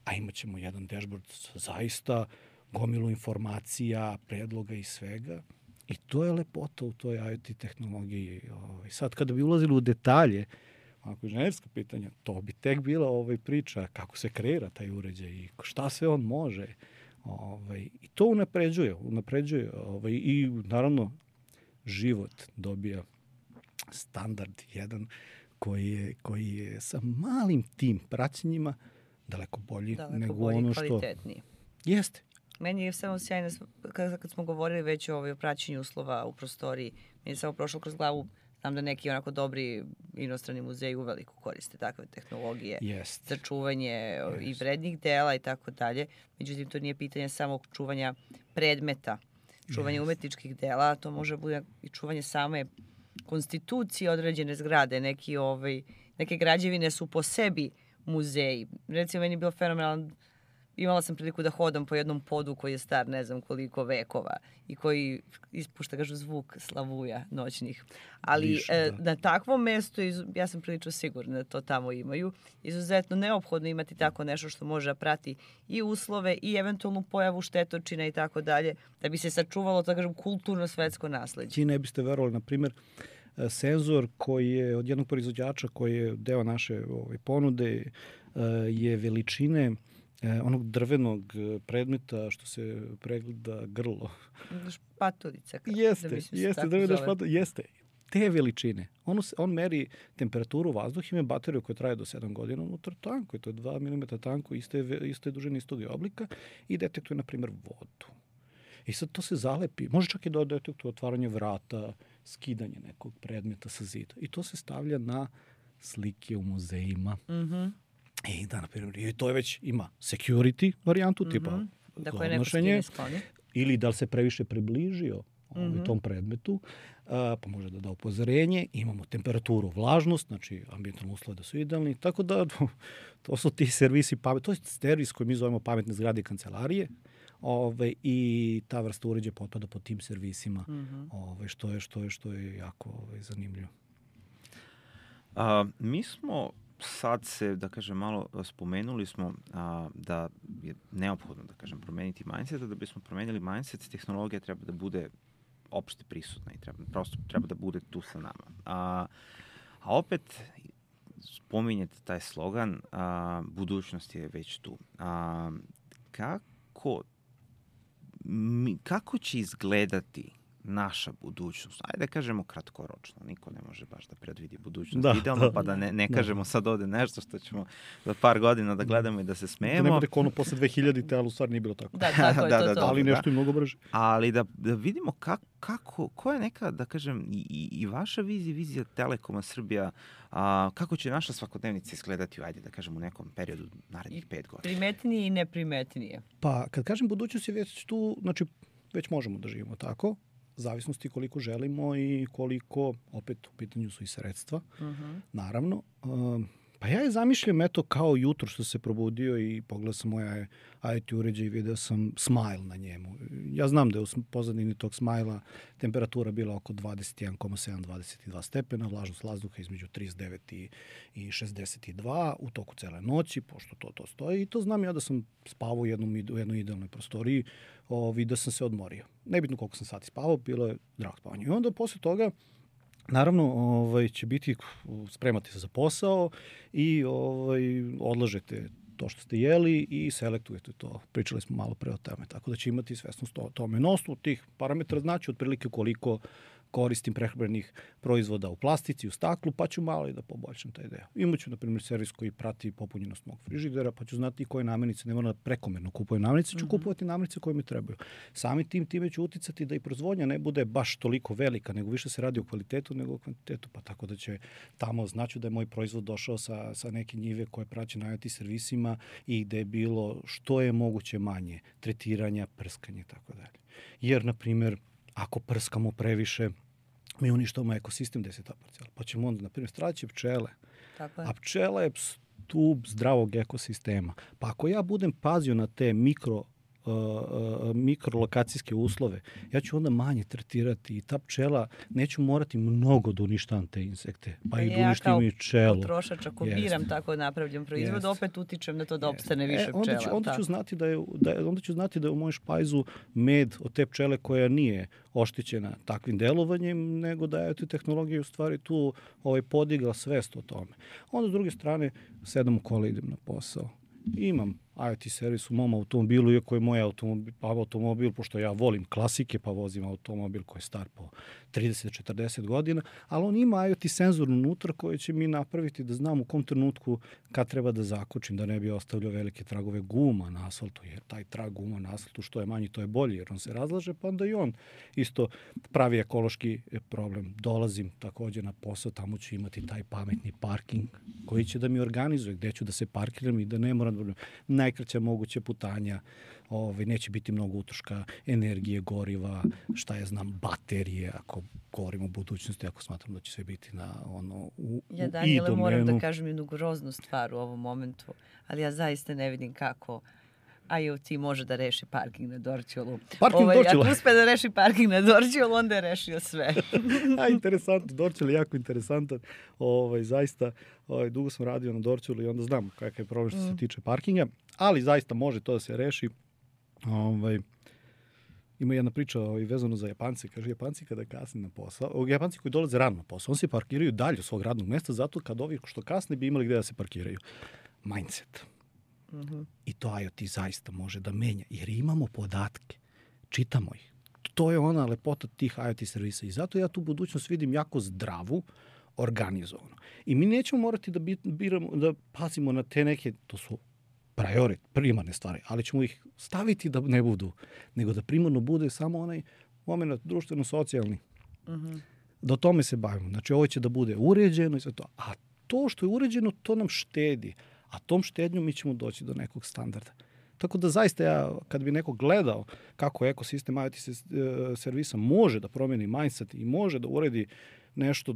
A: a imat ćemo jedan dashboard zaista gomilu informacija, predloga i svega. I to je lepota u toj IoT tehnologiji. Sad, kada bi ulazili u detalje, ako je inženjerska pitanja, to bi tek bila ovaj priča kako se kreira taj uređaj i šta sve on može. Ovaj, I to unapređuje, unapređuje ovaj, i naravno život dobija standard jedan koji je, koji je sa malim tim praćenjima daleko bolji
B: daleko
A: nego
B: bolji,
A: ono što...
B: kvalitetniji.
A: Jeste.
B: Meni je samo sjajno, kad, kad smo govorili već o, ovaj, o praćenju uslova u prostoriji, meni je samo prošlo kroz glavu, znam da neki onako dobri inostrani muzeji uveliko koriste takve tehnologije
A: Jest.
B: za čuvanje
A: Jest.
B: i vrednih dela i tako dalje. Međutim, to nije pitanje samo čuvanja predmeta, čuvanje Jest. umetničkih dela, to može bude i čuvanje same konstitucije određene zgrade. Neki, ovaj, neke građevine su po sebi muzeji. Recimo, meni je bilo fenomenalan, imala sam priliku da hodam po jednom podu koji je star ne znam koliko vekova i koji ispušta, kažu, zvuk slavuja noćnih. Ali Viš, e, na takvom mestu, ja sam prilično sigurna da to tamo imaju, izuzetno neophodno imati tako nešto što može prati i uslove i eventualnu pojavu štetočina i tako dalje, da bi se sačuvalo, tako kažem, kulturno svetsko nasleđe.
A: Ti ne biste verovali, na primjer, senzor koji je od jednog proizvođača koji je deo naše ove, ponude je veličine onog drvenog predmeta što se pregleda grlo.
B: Špaturica.
A: Jeste, da jeste, drvena špaturica, jeste. Te veličine. On, on meri temperaturu vazduha, ima bateriju koja traje do sedam godina unutar tanku, to je dva milimetra tanku, iste, iste dužine istog oblika i detektuje, na primjer, vodu. I sad to se zalepi. Može čak i da detektuje otvaranje vrata, skidanje nekog predmeta sa zida. I to se stavlja na slike u muzejima.
B: Mhm.
A: I da, na primjer, i to je već ima security varijantu, mm-hmm. tipa
B: da koje neko skine skloni.
A: Ili da li se previše približio mm-hmm. tom predmetu, a, pa može da da upozorenje. Imamo temperaturu, vlažnost, znači ambijentalne uslove da su idealni. Tako da to su ti servisi, pamet, to je servis koji mi zovemo pametne zgrade i kancelarije. Ove, i ta vrsta uređaja potpada po tim servisima, mm-hmm. ove, što je što je što je jako ove, zanimljivo.
C: A, mi smo sad se, da kažem, malo spomenuli smo a, da je neophodno, da kažem, promeniti mindset, da bismo promenili mindset, tehnologija treba da bude opšte prisutna i treba, prosto treba da bude tu sa nama. A, a opet, spominjete taj slogan, a, budućnost je već tu. A, kako, mi, kako će izgledati naša budućnost, ajde da kažemo kratkoročno, niko ne može baš da predvidi budućnost da, idealno, da, pa da ne, ne da. kažemo sad ovde nešto što ćemo za par godina da gledamo i da se smejemo.
A: Da ne bude ono posle dve hiljadite, ali u stvari nije bilo tako.
B: Da, tako je
C: da,
B: to,
C: da,
B: to.
A: Ali nešto da. i mnogo brže.
C: Ali da, da vidimo kako, kako, ko je neka, da kažem, i, i vaša vizija, vizija Telekoma Srbija, a, kako će naša svakodnevnica izgledati, ajde da kažem, u nekom periodu narednih pet godina.
B: Primetnije i neprimetnije.
A: Pa, kad kažem budućnost je već tu, znači, već možemo da živimo tako, zavisnosti koliko želimo i koliko, opet u pitanju su i sredstva, uh-huh. naravno. Um, pa ja je zamišljam eto kao jutro što se probudio i pogledao sam moja I T uređaj i video sam smile na njemu. Ja znam da je u pozadini tog smajla temperatura bila oko dvadeset jedan zarez sedam do dvadeset dva stepena, vlažnost vazduha između trideset devet i šezdeset dva u toku cele noći, pošto to to stoji. I to znam ja da sam spavao u, jednom, u jednoj idealnoj prostoriji, ovi, da sam se odmorio. Nebitno koliko sam sati spavao, bilo je drago spavanje. I onda posle toga naravno, ovaj, će biti, spremate se za posao i ovaj, odlažete to što ste jeli i selektujete to. Pričali smo malo pre o tome, tako da će imati svesnost o tome. Na osnovu tih parametra znači otprilike koliko koristim prehrambenih proizvoda u plastici, u staklu, pa ću malo i da poboljšam taj deo. Imaću, na primjer, servis koji prati popunjenost mog frižidera, pa ću znati koje namirnice, ne moram da prekomerno kupujem namirnice, ću mm-hmm. kupovati namirnice koje mi trebaju. Sami tim time ću uticati da i proizvodnja ne bude baš toliko velika, nego više se radi o kvalitetu nego o kvantitetu, pa tako da će tamo znači da je moj proizvod došao sa, sa neke njive koje praće na I O T servisima i gde je bilo što je moguće manje tretiranja, prskanja i tako dalje. Jer, na primjer, ako prskamo previše, mi uništavamo ekosistem gde se ta parcela. Pa ćemo onda, na primjer, straći pčele.
B: Tako je.
A: A pčela je stub zdravog ekosistema. Pa ako ja budem pazio na te mikro Uh, uh, mikrolokacijske uslove, ja ću onda manje tretirati i ta pčela, neću morati mnogo da uništavam te insekte, pa, pa i da uništim i pčelu.
B: Ja kao potrošač, ako Jest. biram tako napravljen proizvod, Jest. opet utičem na to da opstane Jest. više
A: e, onda ću,
B: pčela.
A: Onda ću, znati da je, da je, onda ću znati da je u mojoj špajzu med od te pčele koja nije oštećena takvim delovanjem, nego da je tu tehnologija u stvari tu ovaj, podigla svest o tome. Onda s druge strane, sedam u kola idem na posao. Imam I O T servis u mom automobilu, iako je moj automobil, automobil, pošto ja volim klasike, pa vozim automobil koji je star po trideset do četrdeset godina, ali on ima I O T senzor unutra koji će mi napraviti da znam u kom trenutku kad treba da zakočim, da ne bi ostavljao velike tragove guma na asfaltu, jer taj trag guma na asfaltu što je manji, to je bolji, jer on se razlaže, pa onda i on isto pravi ekološki problem. Dolazim takođe na posao, tamo ću imati taj pametni parking koji će da mi organizuje gde ću da se parkiram i da ne moram da najkraća moguće putanja, ovaj, neće biti mnogo utroška energije, goriva, šta ja znam, baterije, ako govorimo o budućnosti, ako smatram da će sve biti na ono, u,
B: ja, Daniele, moram da kažem jednu groznu stvar u ovom momentu, ali ja zaista ne vidim kako I O T može da reši parking na Dorćolu.
A: Parking
B: ovaj,
A: Dorćola.
B: Ako uspe da reši parking na Dorćolu, onda je rešio sve.
A: A, interesantno. Dorćol je jako interesantan. Ovaj, zaista, ovaj, dugo sam radio na Dorćolu i onda znam kakav je problem što se tiče parkinga, ali zaista može to da se reši. Ovaj, ima jedna priča ovaj, vezano za Japance. Kaže, Japanci kada kasne na posao, Japanci koji dolaze rano na posao, on se parkiraju dalje od svog radnog mesta, zato kad ovi što kasne bi imali gde da se parkiraju. Mindset. Mm-hmm. I to I O T zaista može da menja, jer imamo podatke, čitamo ih. To je ona lepota tih I O T servisa i zato ja tu budućnost vidim jako zdravu, organizovano. I mi nećemo morati da biramo, da pazimo na te neke, to su priority, primarne stvari, ali ćemo ih staviti da ne budu, nego da primarno bude samo onaj moment društveno-socijalni. Mm-hmm. Da o tome se bavimo. Znači ovo će da bude uređeno i sve to. A to što je uređeno, to nam štedi. A tom štednjom mi ćemo doći do nekog standarda. Tako da zaista ja, kad bi neko gledao kako ekosistem I O T servisa može da promeni mindset i može da uredi nešto,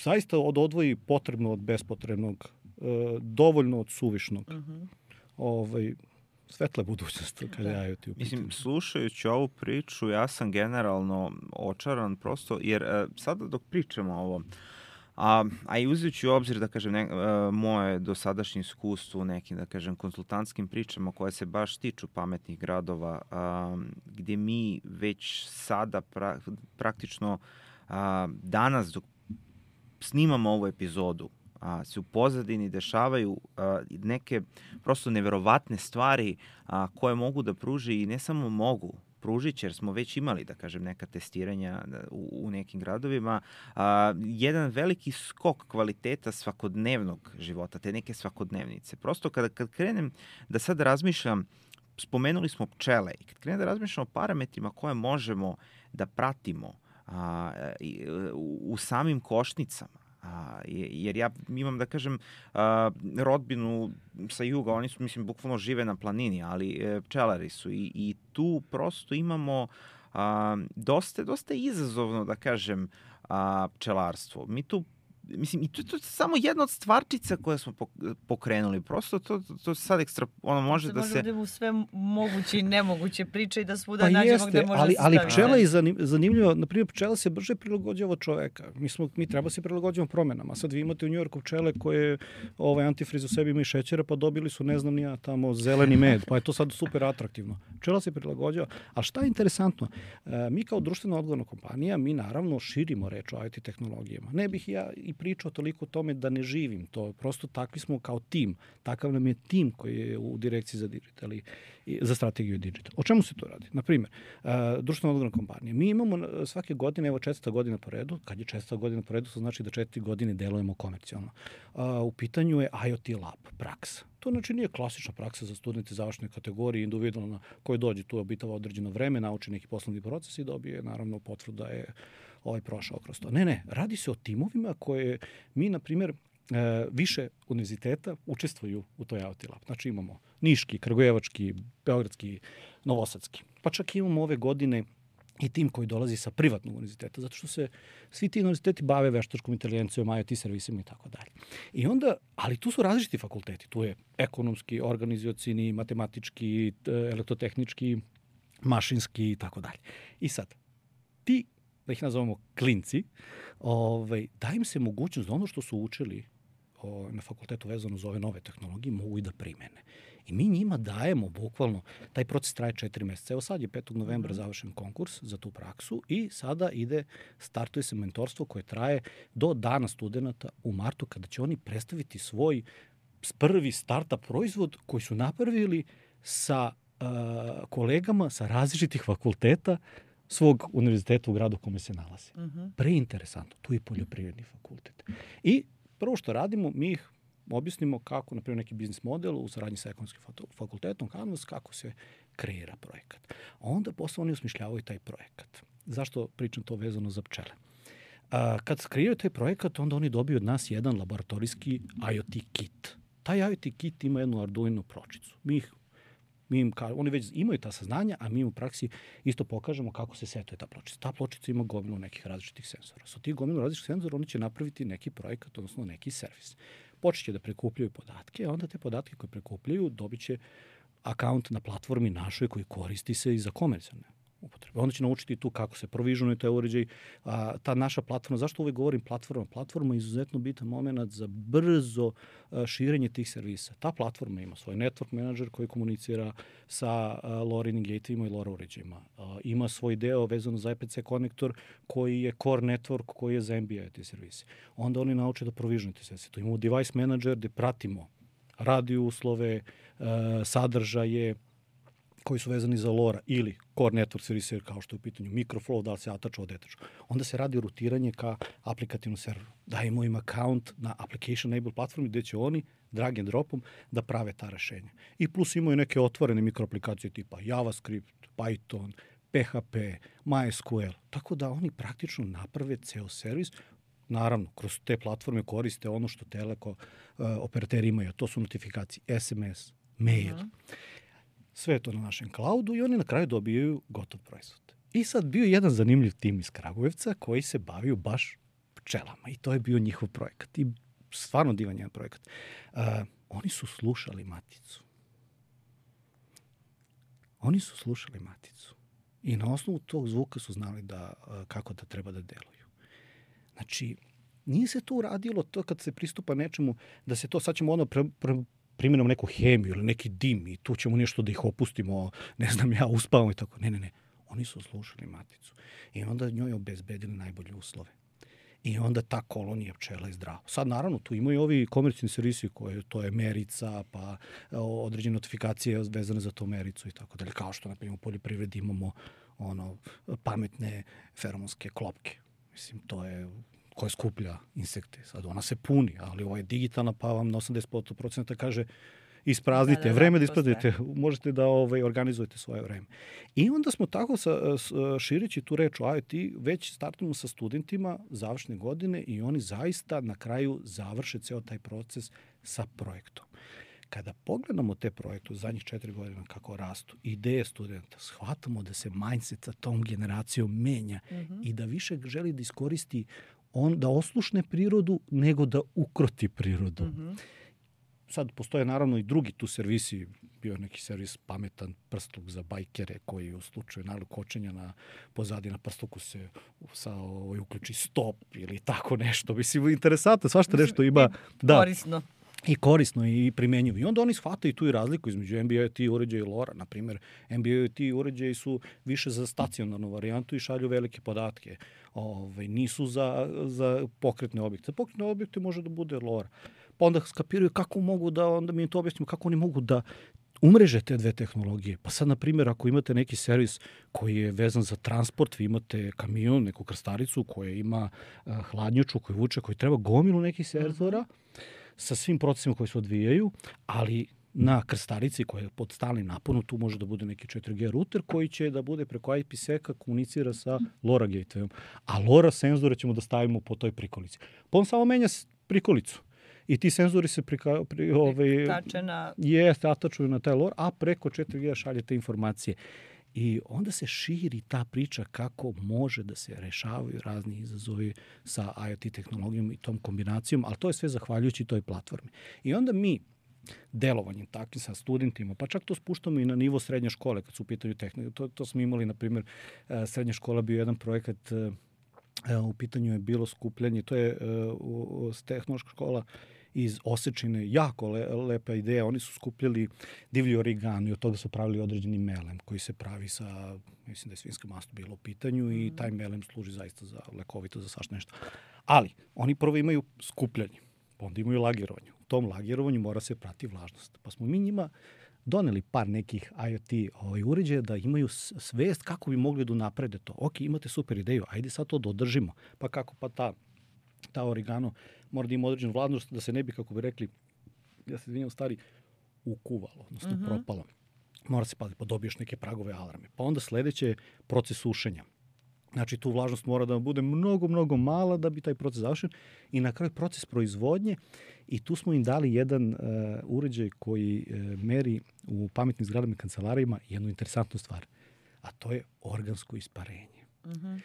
A: zaista od odvoji potrebno od bespotrebnog, dovoljno od suvišnog. Uh-huh. Ovaj, svetla budućnost kada je I O T u pitanju.
C: Mislim, slušajući ovu priču, ja sam generalno očaran prosto, jer sada dok pričamo o ovom, A, a i uzeti u obzir, da kažem, ne, a, moje dosadašnje iskustvo u nekim, da kažem, konsultantskim pričama koje se baš tiču pametnih gradova, a, gdje mi već sada pra, praktično a, danas dok snimamo ovu epizodu, a, se u pozadini dešavaju a, neke prosto neverovatne stvari a, koje mogu da pruži i ne samo mogu, pružić, jer smo već imali, da kažem, neka testiranja u, u nekim gradovima, a, jedan veliki skok kvaliteta svakodnevnog života, te neke svakodnevnice. Prosto kada, kad krenem da sad razmišljam, spomenuli smo pčele, i kad krenem da razmišljam o parametrima koje možemo da pratimo a, i, u, u samim košnicama, A, jer ja imam, da kažem, a, rodbinu sa juga, oni su, mislim, bukvalno žive na planini, ali e, pčelari su i, i tu prosto imamo a, dosta, dosta je izazovno, da kažem, a, pčelarstvo. Mi tu Mislim, i to, to je samo jedna od stvarčica koje smo pokrenuli. Prosto to, to, to sad ekstra, ono može
B: se
C: da
B: može
C: se...
B: da u sve moguće i nemoguće priče i da svuda
A: pa
B: nađemo
A: jeste,
B: gde može
A: ali,
B: da se
A: ali
B: stavi.
A: pčela je zanim, zanimljiva. Naprimjer, pčela se brže prilagođava od čoveka. Mi, smo, mi treba se prilagođavamo promenama. Sad vi imate u Njujorku pčele koje ovaj, antifriz u sebi ima i šećera, pa dobili su, ne znam ni ja, tamo zeleni med, pa je to sad super atraktivno. Pčela se prilagođava. A šta je interesantno? E, mi kao društveno odgovorna kompanija, mi naravno širimo reč o I T tehnologijama. Ne bih ja i pričao toliko o tome da ne živim to. Prosto takvi smo kao tim. Takav nam je tim koji je u direkciji za digital i, i za strategiju digital. O čemu se to radi? Naprimjer, uh, društveno odgovorna kompanija. Mi imamo svake godine, evo četvrta godina po redu, kad je četvrta godina po redu, to znači da četiri godine delujemo komercijalno. Uh, u pitanju je IoT lab, praksa. To znači nije klasična praksa za studente završne kategorije, individualna, koji dođe tu, obitava određeno vreme, nauči neki poslovni proces i dobije naravno potvrdu da je ovaj prošao kroz to. Ne, ne, radi se o timovima koje mi, na primjer, više univerziteta učestvuju u toj IoT lab. Znači imamo Niški, Kragujevački, Beogradski, Novosadski. Pa čak imamo ove godine i tim koji dolazi sa privatnog univerziteta, zato što se svi ti univerziteti bave veštačkom inteligencijom, IoT servisima i tako dalje. I onda, ali tu su različiti fakulteti. Tu je ekonomski, organizacioni, matematički, elektrotehnički, mašinski i tako dalje. I sad, ti, da ih nazovemo klinci, ovaj, da im se mogućnost da ono što su učili o, na fakultetu vezano za ove nove tehnologije mogu i da primene. I mi njima dajemo bukvalno, taj proces traje četiri meseca. Evo sad je petog novembra završen konkurs za tu praksu i sada ide, startuje se mentorstvo koje traje do dana studenta u martu kada će oni predstaviti svoj prvi startup proizvod koji su napravili sa uh, kolegama sa različitih fakulteta svog univerziteta u gradu u kome se nalazi. Uh-huh. Preinteresantno. Tu je poljoprivredni fakultet. I prvo što radimo, mi ih objasnimo kako, na primjer, neki biznis model u saradnji sa ekonomskim fakultetom, Canvas, kako se kreira projekat. Onda posle oni osmišljavaju taj projekat. Zašto pričam to vezano za pčele? A, kad kreiraju taj projekat, onda oni dobiju od nas jedan laboratorijski IoT kit. Taj IoT kit ima jednu Arduino pločicu. Mi ih Mi im, oni već imaju ta saznanja, a mi im u praksi isto pokažemo kako se setuje ta pločica. Ta pločica ima gomilu nekih različitih senzora. Sa tih gomilu različitih senzora oni će napraviti neki projekat, odnosno neki servis. Počeće da prikupljaju podatke, a onda te podatke koje prikupljaju dobit će akaunt na platformi našoj koji koristi se i za komercijalne upotrebe. Onda će naučiti tu kako se provižuje taj uređaj. A, ta naša platforma, zašto uvek govorim platforma? Platforma je izuzetno bitan moment za brzo a, širenje tih servisa. Ta platforma ima svoj network manager koji komunicira sa a, LoRa gatevima i LoRa uređajima. A, ima svoj deo vezano za I P C konektor koji je core network koji je za N B I te servise. Onda oni nauče da provižuju te servise. To imamo device manager gde pratimo radio uslove, a, sadržaje, koji su vezani za LoRa ili core network servise kao što je u pitanju Microflow, da li se atača od etača. Onda se radi rutiranje ka aplikativnom serveru. Dajemo im account na application enable platformi gde će oni drag and dropom da prave ta rešenja. I plus imaju neke otvorene mikroaplikacije tipa JavaScript, Python, P H P, MySQL. Tako da oni praktično naprave ceo servis. Naravno, kroz te platforme koriste ono što teleko uh, operateri imaju. To su notifikacije, S M S, mail. Uh-huh. Sve je to na našem cloudu i oni na kraju dobijaju gotov proizvod. I sad bio jedan zanimljiv tim iz Kragujevca koji se bavio baš pčelama i to je bio njihov projekat. I stvarno divan jedan projekat. Uh, oni su slušali maticu. Oni su slušali maticu. I na osnovu tog zvuka su znali da, uh, kako da treba da deluju. Znači, nije se to uradilo to kad se pristupa nečemu, da se to, sad ćemo ono pre, pre, primjenom neku hemiju ili neki dim i tu ćemo nešto da ih opustimo, ne znam ja, uspavamo i tako. Ne, ne, ne. Oni su slušali maticu. I onda njoj obezbedili najbolje uslove. I onda ta kolonija pčela je zdrava. Sad, naravno, tu imaju ovi komercijalni servisi koje, to je merica, pa određene notifikacije vezane za to mericu i tako dalje. Kao što, na primjer, u poljoprivredi imamo ono, pametne feromonske klopke. Mislim, to je koja skuplja insekte. Sad ona se puni, ali ovo je digitalna, pa vam na osamdeset procenta kaže ispraznite, da, da, vreme da ispraznite, možete da ovaj, organizujete svoje vreme. I onda smo tako sa, širići tu reč o IoT, već startujemo sa studentima završne godine i oni zaista na kraju završe ceo taj proces sa projektom. Kada pogledamo te projekte u zadnjih četiri godina kako rastu, ideje studenta, shvatamo da se mindset sa tom generacijom menja mm-hmm. i da više želi da iskoristi on, da oslušne prirodu nego da ukroti prirodu. Mm-hmm. Sad postoje naravno i drugi tu servisi, bio je neki servis pametan prstluk za bajkere koji u slučaju naravno kočenja na pozadi na prstluku se sa, ovaj, uključi stop ili tako nešto. Mislim, interesantno, svašta nešto ima.
B: Da, korisno.
A: I korisno i primenjivo. I onda oni shvataju tu i razliku između N B I O T uređaja i LoRa. Naprimjer, N B I O T uređaji su više za stacionarnu varijantu i šalju velike podatke. Ove, nisu za, za pokretne objekte. Za pokretne objekte može da bude LoRa. Pa onda skapiraju kako mogu da, onda mi to objasnimo, kako oni mogu da umreže te dve tehnologije. Pa sad, na primjer, ako imate neki servis koji je vezan za transport, vi imate kamion, neku krstaricu koja ima uh, hladnjaču, koji vuče, koji treba gomilu nekih senzora, sa svim procesima koji se odvijaju, ali na krstarici koja je pod stalnim naponom, tu može da bude neki četiri G router koji će da bude preko I P seka komunicira sa LoRa gatewayom. A LoRa senzore ćemo da stavimo po toj prikolici. Pa on samo menja prikolicu. I ti senzori se prika, pri, ovaj,
B: na...
A: jeste, atačuju na taj LoRa, a preko četiri G šalje te informacije. I onda se širi ta priča kako može da se rešavaju razni izazovi sa I O T tehnologijom i tom kombinacijom, ali to je sve zahvaljujući toj platformi. I onda mi delovanjem takvim sa studentima, pa čak to spuštamo i na nivo srednje škole kad su u pitanju tehnologije. To, to smo imali, na primjer, srednja škola bio jedan projekat, u pitanju je bilo skupljanje, to je tehnološka škola iz Osečine, jako le, lepa ideja. Oni su skupljali divlji origami, od toga su pravili određeni melem koji se pravi sa, mislim da je svinjska masta bilo u pitanju mm. i taj melem služi zaista za lekovito, za svašta nešto. Ali, oni prvo imaju skupljanje, pa onda imaju lagirovanje. U tom lagirovanju mora se prati vlažnost. Pa smo mi njima doneli par nekih I O T ovaj, uređaja da imaju svest kako bi mogli da naprede to. Ok, imate super ideju, ajde sad to da održimo. Pa kako? Pa ta ta origano mora da ima određenu vladnost da se ne bi, kako bi rekli, ja se izvinjam, stari, ukuvalo, odnosno uh-huh. propalo. Mora se paziti, pa dobiješ neke pragove alarme. Pa onda sledeće je proces sušenja. Znači, tu vlažnost mora da bude mnogo, mnogo mala da bi taj proces završen. I na kraju proces proizvodnje. I tu smo im dali jedan uh, uređaj koji uh, meri u pametnim zgradama i kancelarijama jednu interesantnu stvar. A to je organsko isparenje. Uh-huh.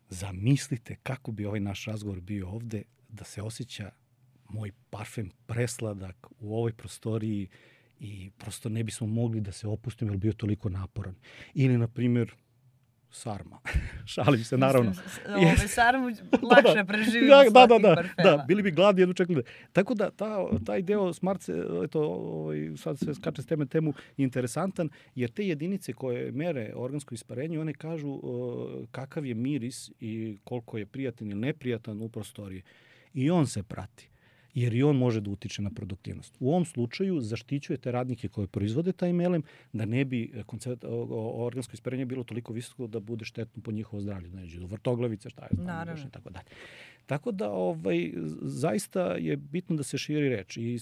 A: Zamislite kako bi ovaj naš razgovor bio ovde, da se osjeća moj parfem presladak u ovoj prostoriji i prosto ne bismo mogli da se opustimo jer bio toliko naporan. Ili, na primjer, sarma. Šalim se, naravno.
B: Ove sarmu lakše da, preživimo
A: da,
B: da,
A: da, da,
B: parfema.
A: Da, bili bi gladni, jednu čekali. Tako da ta, taj deo smart, eto, ovaj, sad se skače s teme temu, interesantan, jer te jedinice koje mere organsko isparenje, one kažu uh, kakav je miris i koliko je prijatan ili neprijatan u prostoriji. I on se prati, jer i on može da utiče na produktivnost. U ovom slučaju zaštićujete radnike koji proizvode taj melem da ne bi koncept, organsko isparenje bilo toliko visoko da bude štetno po njihovo zdravlje. Znači, do vrtoglavice, šta je znam, i tako dalje. Tako da ovaj, zaista je bitno da se širi reč. I, i,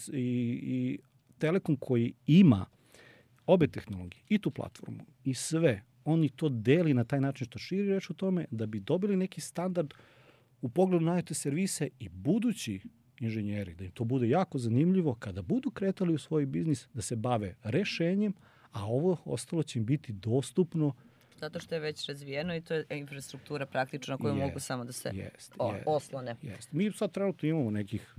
A: i Telekom koji ima obe tehnologije, i tu platformu, i sve, oni to deli na taj način što širi reč o tome da bi dobili neki standard u pogledu na I O T servise i budući inženjeri, da im to bude jako zanimljivo kada budu kretali u svoj biznis, da se bave rešenjem, a ovo ostalo će im biti dostupno.
B: Zato što je već razvijeno i to je infrastruktura praktično koju jest, mogu samo da se
A: jest,
B: o,
A: jest,
B: oslone.
A: Jest. Mi sad trenutno imamo nekih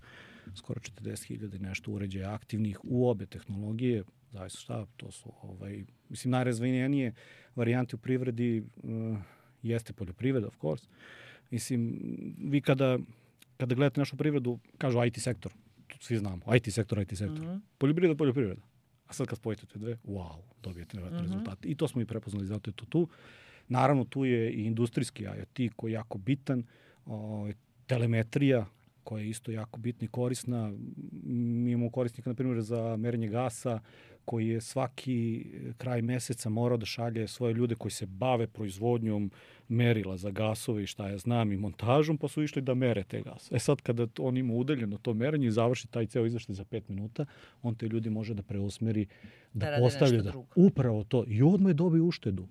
A: skoro četrdeset hiljada nešto uređaja aktivnih u obe tehnologije. Zavisno šta, to su ovaj, mislim, najrazvijenije varijante u privredi uh, jeste poljoprivreda, of course. Mislim, vi kada Kada gledate našu privredu, kažu I T sektor. Svi znamo. I T sektor, I T sektor. Uh-huh. Poljoprivreda, poljoprivreda. A sad kad spojite te dve, wow, dobijete nevjerojatne uh-huh. rezultate. I to smo i prepoznali, zato je to tu. Naravno, tu je i industrijski I O T koji je jako bitan. O, telemetrija koja je isto jako bitna i korisna. Mi imamo korisnika, na primjer, za merenje gasa, koji je svaki kraj meseca morao da šalje svoje ljude koji se bave proizvodnjom merila za gasove i šta ja znam i montažom, pa su išli da mere te gase. E sad kada on ima udaljeno to merenje i završi taj ceo izveštaj za pet minuta, on te ljudi može da preusmeri, da, da postavlja da upravo to. I odmah je dobio uštedu.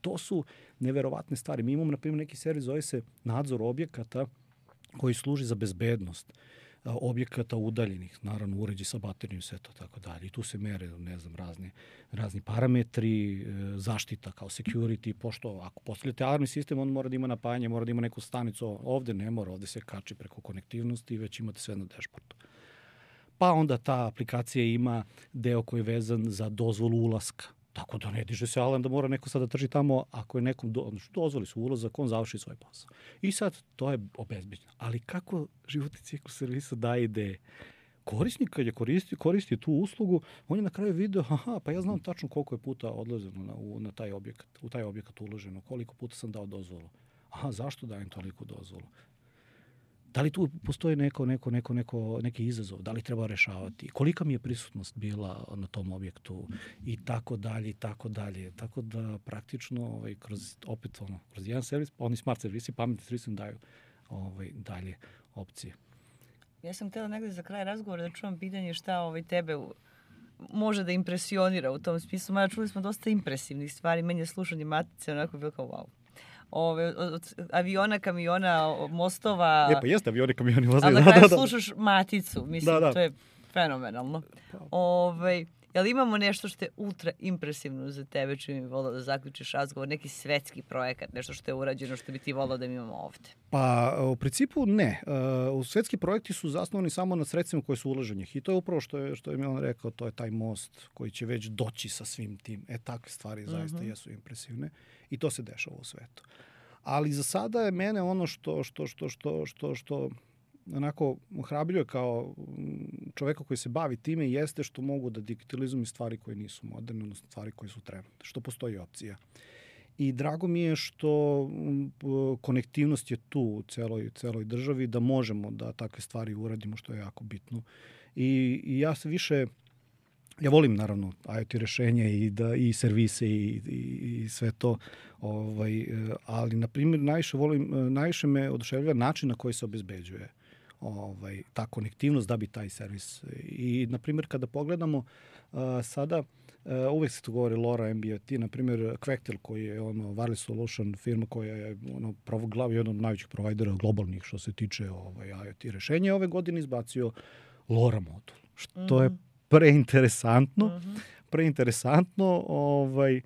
A: To su neverovatne stvari. Mi imamo, na primjer, neki servis, zove se nadzor objekata koji služi za bezbednost. objekata udaljenih, naravno uređi sa baterijom, sve to tako dalje. I tu se mere, ne znam, razni, razni parametri, zaštita kao security, pošto ako postavljate alarmni sistem, on mora da ima napajanje, mora da ima neku stanicu, ovde ne mora, ovde se kači preko konektivnosti i već imate sve na dashboardu. Pa onda ta aplikacija ima deo koji je vezan za dozvolu ulaska. Tako da ne diže se alarm da mora neko sad da trži tamo, ako je nekom do, dozvoli su ulazak, on završi svoj posao. I sad to je obezbeđeno. Ali kako životni ciklus servisa daje ideje? Korisnik kad je koristio, koristio tu uslugu, on je na kraju video, aha, pa ja znam tačno koliko je puta odlazeno na, u, na taj objekat, u taj objekat uloženo, koliko puta sam dao dozvolu. Aha, zašto dajem toliko dozvolu? Da li tu postoji neko, neko, neko, neko, neki izazov? Da li treba rešavati? Kolika mi je prisutnost bila na tom objektu? I tako dalje, i tako dalje. Tako da praktično ovaj, kroz, opet ono, kroz jedan servis, oni smart servisi, pametni servisi daju ovaj, dalje opcije.
B: Ja sam htjela negde za kraj razgovora da čuvam pitanje šta ovaj, tebe može da impresionira u tom smislu. Mada čuli smo dosta impresivnih stvari. Meni je slušanje Matice onako bilo kao wow. Ove, od aviona, kamiona, mostova.
A: E pa jeste avioni, kamioni, mostovi.
B: Ali na kraju da, da, da. slušaš Maticu. Mislim, da, da. To je fenomenalno. Ove, jel imamo nešto što je ultra impresivno za tebe, čim bi volao da zaključiš razgovor, neki svetski projekat, nešto što je urađeno, što bi ti volao da mi imamo ovde?
A: Pa, u principu ne. Uh, svetski projekti su zasnovani samo na sredstvima koje su uloženih. I to je upravo što je, što je Milan rekao, to je taj most koji će već doći sa svim tim. E, takve stvari zaista uh-huh. jesu impresivne. I to se dešava u svetu. Ali za sada je mene ono što, što, što, što, što, što onako ohrabljuje kao čoveka koji se bavi time jeste što mogu da digitalizujem stvari koje nisu moderne, odnosno stvari koje su trenutne, što postoji opcija. I drago mi je što konektivnost je tu u celoj, celoj državi, da možemo da takve stvari uradimo, što je jako bitno. I, i ja se više... Ja volim naravno IoT rešenje i da i servise i, i, i sve to, ovaj, ali na primjer najviše volim, najviše me oduševljava način na koji se obezbeđuje ovaj, ta konektivnost da bi taj servis. I na primjer kada pogledamo uh, sada, uh, uvek se to govori LoRa, M B I T, na primjer Quectel koji je ono wireless solution firma koja je ono pravo jedan od najvećih provajdera globalnih što se tiče ovaj, IoT rešenja, ove godine izbacio LoRa modul, što mm-hmm. je preinteresantno, uh-huh. preinteresantno, ovaj,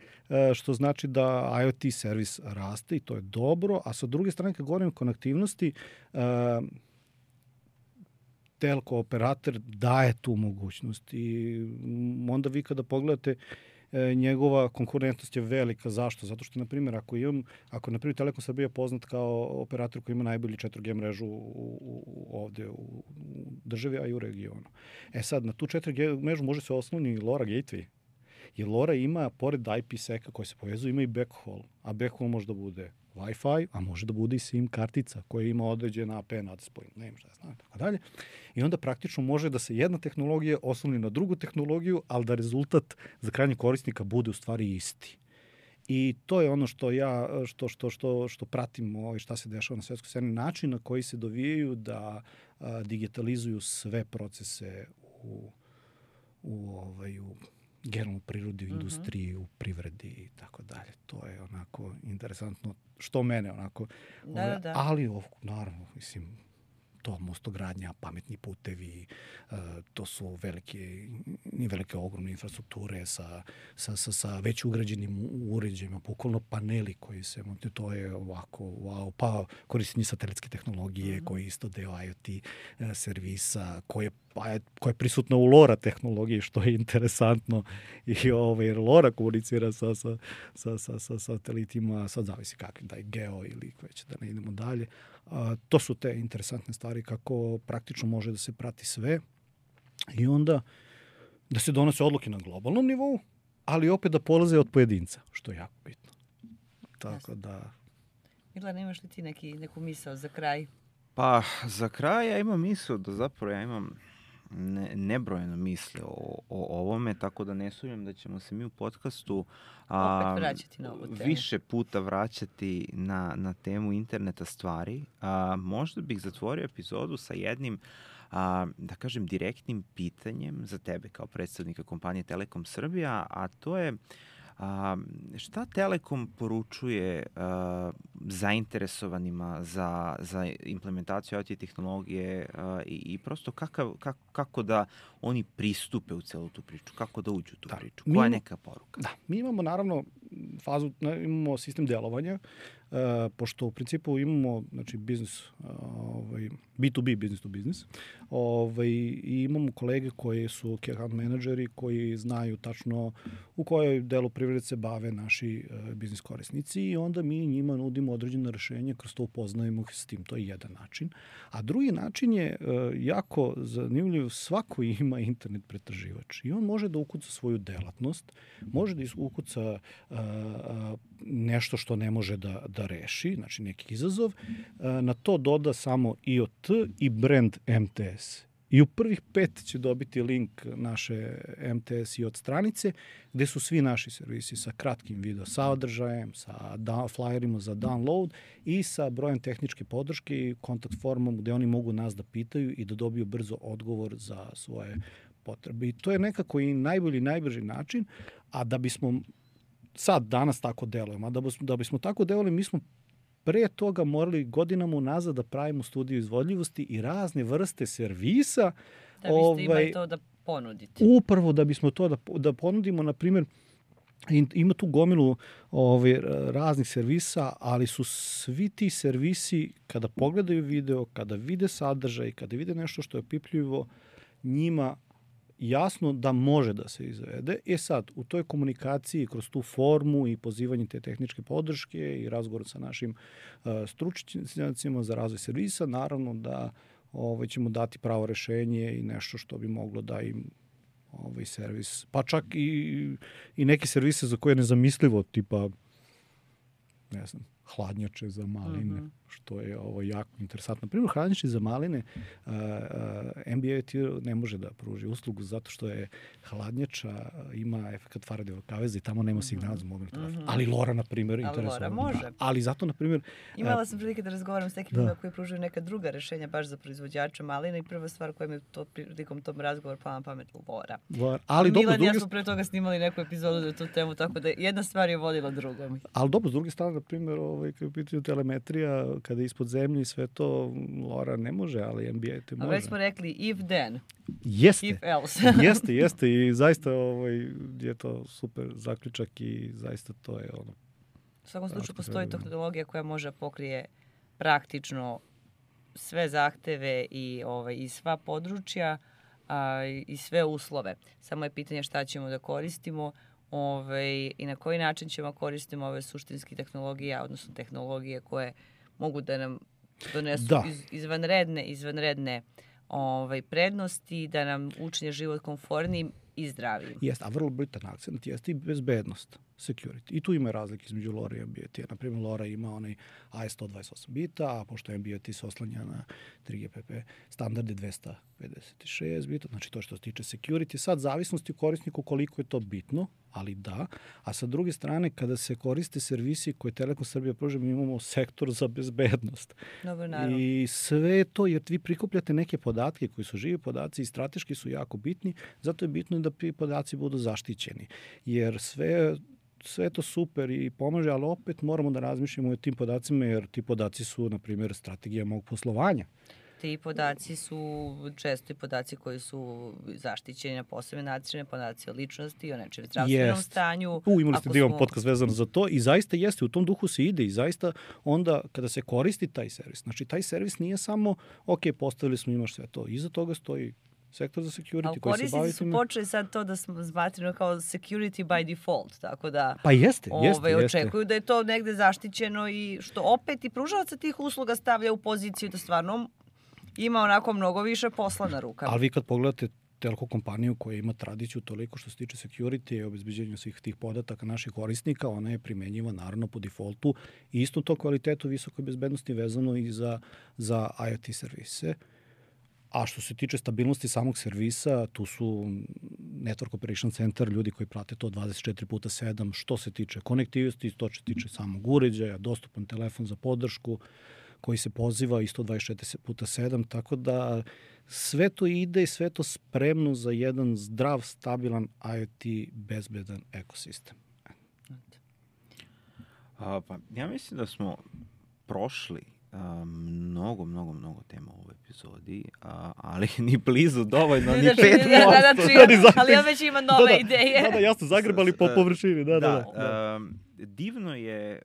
A: što znači da IoT servis raste i to je dobro, a sa druge strane kad govorim o konektivnosti, telko operator daje tu mogućnost i onda vi kada pogledate njegova konkurentnost je velika. Zašto? Zato što, na primjer, ako imam, ako, na primjer, Telekom Srbija je poznat kao operator koji ima najbolji četiri G mrežu u, u, ovde u državi, a i u regionu. E sad, na tu četiri G mrežu može se osloni LoRa gateway. Jer LoRa ima, pored I P seka koji se povezuje, ima i backhaul. A backhaul može da bude Wi-Fi, a može da bude i SIM kartica koja ima određen A P nadspoj, nema šta znam, tako dalje. I onda praktično može da se jedna tehnologija osloni na drugu tehnologiju, ali da rezultat za krajnjeg korisnika bude u stvari isti. I to je ono što ja, što, što, što, što pratim ovaj, šta se dešava na svetskoj sceni, način na koji se dovijaju da a, digitalizuju sve procese u, u, ovaj, u generalno prirodi, u industriji, uh-huh. u privredi i tako dalje. To je onako interesantno, što mene onako...
B: Da, ove, da.
A: Ali, ovo, naravno, mislim, to mostogradnja, pametni putevi, uh, to su velike, velike ogromne infrastrukture sa, sa, sa, sa već ugrađenim uređajima, bukvalno paneli koji se montuju, to je ovako, wow, pa korištenje satelitske tehnologije, mm-hmm. koji je isto deo IoT uh, servisa, koje koja je prisutna u LoRa tehnologiji, što je interesantno. I ovaj, LoRa komunicira sa, sa, sa, sa, sa satelitima, sad zavisi kakvi, da je geo ili već da ne idemo dalje. A, to su te interesantne stvari kako praktično može da se prati sve i onda da se donose odluke na globalnom nivou, ali opet da polaze od pojedinca, što je jako bitno. Tako da...
B: Milan, imaš li ti neki, neku misao za kraj?
C: Pa, za kraj ja imam misao da zapravo ja imam ne, nebrojeno misle o, o ovome, tako da ne sumnjam da ćemo se mi u podcastu
B: a, opet vraćati na ovu temu.
C: Više puta vraćati na, na temu interneta stvari. A, možda bih zatvorio epizodu sa jednim, a, da kažem, direktnim pitanjem za tebe kao predstavnika kompanije Telekom Srbija, a to je A, šta Telekom poručuje a, zainteresovanima za, za implementaciju I T tehnologije a, i, i prosto kakav, kako, kako da oni pristupe u celu tu priču, kako da uđu u tu da, priču, koja je neka poruka?
A: Da, mi imamo naravno fazu, imamo sistem delovanja, uh, pošto u principu imamo znači, biznis, uh, ovaj, B to B, business to business, ovaj, i imamo kolege koji su key account menadžeri koji znaju tačno u kojoj delu privrede se bave naši uh, biznis korisnici i onda mi njima nudimo određene rešenje, kroz to upoznajemo s tim, to je jedan način. A drugi način je uh, jako zanimljiv, svako ima internet pretraživač i on može da ukuca svoju delatnost, može da ukuca uh, nešto što ne može da, da reši, znači neki izazov, na to doda samo I O T i brand M T S. I u prvih pet će dobiti link naše M T S I O T stranice, gde su svi naši servisi sa kratkim video sadržajem, sa flyerima za download i sa brojem tehničke podrške i kontakt formom gde oni mogu nas da pitaju i da dobiju brzo odgovor za svoje potrebe. I to je nekako i najbolji, najbrži način, a da bismo sad, danas tako delujemo, a da, da bismo tako delali, mi smo pre toga morali godinama unazad da pravimo studiju izvodljivosti i razne vrste servisa.
B: Da biste ovaj, imali to da ponudite.
A: Upravo da bismo to da, da ponudimo, na primjer, ima tu gomilu ovaj, raznih servisa, ali su svi ti servisi, kada pogledaju video, kada vide sadržaj, kada vide nešto što je pipljivo, njima jasno da može da se izvede. E sad, u toj komunikaciji, kroz tu formu i pozivanje te tehničke podrške i razgovor sa našim uh, stručnjacima za razvoj servisa, naravno da ovaj, ćemo dati pravo rešenje i nešto što bi moglo da im ovaj servis, pa čak i, i neke servise za koje je nezamislivo, tipa, ne znam, hladnjače za maline, mm-hmm. što je ovo jako interesantno. Na primjer, hladnjače za maline uh, uh, N B A T ne može da pruži uslugu zato što je hladnjača, ima efekat Faradayeva kaveza i tamo nema signala za mobilni telefon. Mm-hmm. Ali Lora, na primjer, interesuje.
B: Ali Lora može.
A: Da, ali zato, na primjer...
B: Imala sam prilike da razgovaram s nekim ljudima koji pružuju neka druga rešenja baš za proizvođača malina i prva stvar koja mi je to, prilikom tom razgovor pala na pamet Lora.
A: Lora. Ali dobro,
B: Milan i ja smo pre toga snimali neku epizodu za tu temu, tako da jedna stvar je vodila drugom.
A: Ali dobro, s druge strane, na primjer, ovaj, kada je pitanje telemetrija, kada je ispod zemlje i sve to, Lora ne može, ali N B A te može.
B: A već smo rekli if then,
A: jeste,
B: if else.
A: jeste, jeste i zaista ovaj, je to super zaključak i zaista to je ono.
B: U svakom slučaju postoji tehnologija koja može pokrije praktično sve zahteve i, ovaj, i sva područja a, i sve uslove. Samo je pitanje šta ćemo da koristimo ovaj, i na koji način ćemo koristiti ove suštinske tehnologije, odnosno tehnologije koje mogu da nam donesu da. Iz, izvanredne, izvanredne ovaj, prednosti, da nam učine život komfornijim i zdravijim.
A: Jeste, a vrlo bitan akcent jeste i bezbednost, security. I tu ima razlike između Lora i N B A T. Naprimjer, Lora ima onaj A E sto dvadeset osam bita, a pošto N B A T se oslanja na tri G P P standarde dvesta pedeset šest bita, znači to što se tiče security. Sad, zavisnosti u korisniku koliko je to bitno, ali da. A sa druge strane, kada se koriste servisi koje Telekom Srbija pruža, mi imamo sektor za bezbednost.
B: Dobro, naravno.
A: I sve to, jer vi prikupljate neke podatke koji su živi podaci i strateški su jako bitni, zato je bitno da podaci budu zaštićeni. Jer sve sve je to super i pomaže, ali opet moramo da razmišljamo o tim podacima, jer ti podaci su, na primjer, strategija mog poslovanja.
B: Ti podaci su često i podaci koji su zaštićeni na posebne načine, podaci o ličnosti, o nečem zdravstvenom yes. stanju.
A: U, imali ste da imam
B: smo...
A: podcast vezano za to i zaista jeste, u tom duhu se ide i zaista onda kada se koristi taj servis, znači taj servis nije samo, ok, postavili smo, imaš sve to, iza toga stoji sektor za security koji se bavi time. Ali
B: korisnici su počeli sad to da smo zbatreno kao security by default, tako da
A: pa jeste,
B: ove,
A: jeste,
B: očekuju
A: jeste.
B: da je to negde zaštićeno i što opet i pružavaca tih usluga stavlja u poziciju da stvarno ima onako mnogo više posla na rukama.
A: Ali vi kad pogledate telko kompaniju koja ima tradiciju toliko što se tiče security i obezbeđenja svih tih podataka naših korisnika, ona je primenjiva naravno po defaultu i isto to kvalitetu visoke bezbednosti vezano i za, za I O T servise. A što se tiče stabilnosti samog servisa, tu su Network Operation Center, ljudi koji prate to dvadeset četiri puta sedam, što se tiče konektivnosti, to se tiče samog uređaja, dostupan telefon za podršku, koji se poziva isto dvadeset četiri puta sedam, tako da sve to ide i sve to spremno za jedan zdrav, stabilan I O T bezbedan ekosistem.
C: A, pa, ja mislim da smo prošli a, mnogo, mnogo, mnogo tema u ovoj epizodi, a, ali ni blizu dovoljno, ni
B: Znači,
C: pet
B: da,
C: posto.
B: znači,
A: Da, ni za-
B: ali on već ima nove
A: Da, da.
B: ideje.
A: Da, da, jasno, zagrebali po površini, da, da, da. da.
C: um, divno je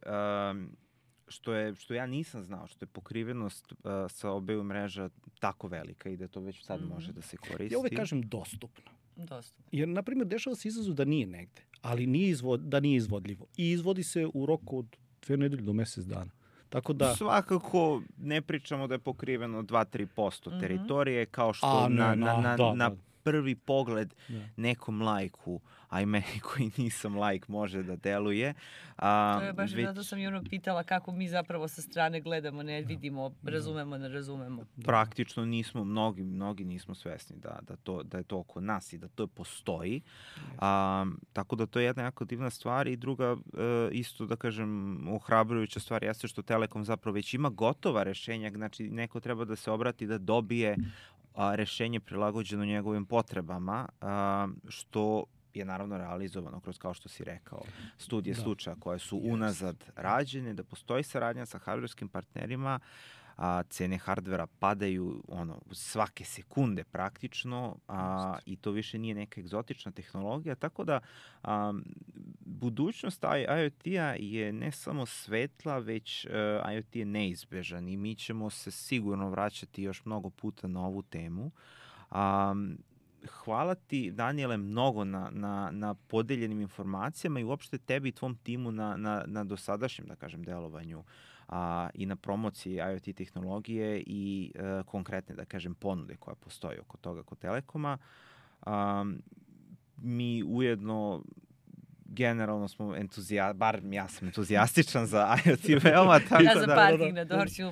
C: um, što je, što ja nisam znao, što je pokrivenost uh, sa obeju mreža tako velika i da to već sad
B: Mhm.
C: može da se koristi.
A: Ja uvek kažem dostupno.
B: Dosta.
A: Jer, na primjer, dešava se izazov da nije negde, ali nije izvod, da nije izvodljivo. I izvodi se u roku od dve nedelje do mesec dana. Tako da...
C: Svakako ne pričamo da je pokriveno dva do tri posto
B: Mhm.
C: teritorije, kao što
A: A, ne,
C: na, na,
A: na-
C: na,
A: da,
C: na
A: da.
C: prvi pogled
A: Da.
C: nekom lajku, a i meni koji nisam lajk može da deluje. A,
B: To je baš
C: već
B: zato sam i ono pitala kako mi zapravo sa strane gledamo, ne vidimo, razumemo, ne razumemo.
C: praktično nismo, mnogi, mnogi nismo svesni da, da, to, da je to oko nas i da to postoji. A, tako da to je jedna jako divna stvar i druga e, isto da kažem ohrabrujuća stvar jeste što Telekom zapravo već ima gotova rešenja, znači neko treba da se obrati da dobije a, rešenje prilagođeno njegovim potrebama, a, što je naravno realizovano kroz, kao što si rekao, studije
A: Da.
C: slučaja koje su
A: Jeste.
C: unazad rađene, da postoji saradnja sa hardverskim partnerima, a cene hardvera padaju ono svake sekunde praktično, a, i to više nije neka egzotična tehnologija, tako da a, budućnost I O T-a je ne samo svetla, već uh, I O T je neizbežan i mi ćemo se sigurno vraćati još mnogo puta na ovu temu. Um, hvala ti, Danijele, mnogo na, na, na podeljenim informacijama i uopšte tebi i tvom timu na, na, na dosadašnjem, da kažem, delovanju a, i na promociji I O T tehnologije i e, konkretne, da kažem, ponude koja postoji oko toga kod Telekoma. A, mi ujedno generalno smo entuzija, bar ja sam entuzijastičan za I O T veoma, tako
B: Ja za
C: da...
B: parking na Dorću.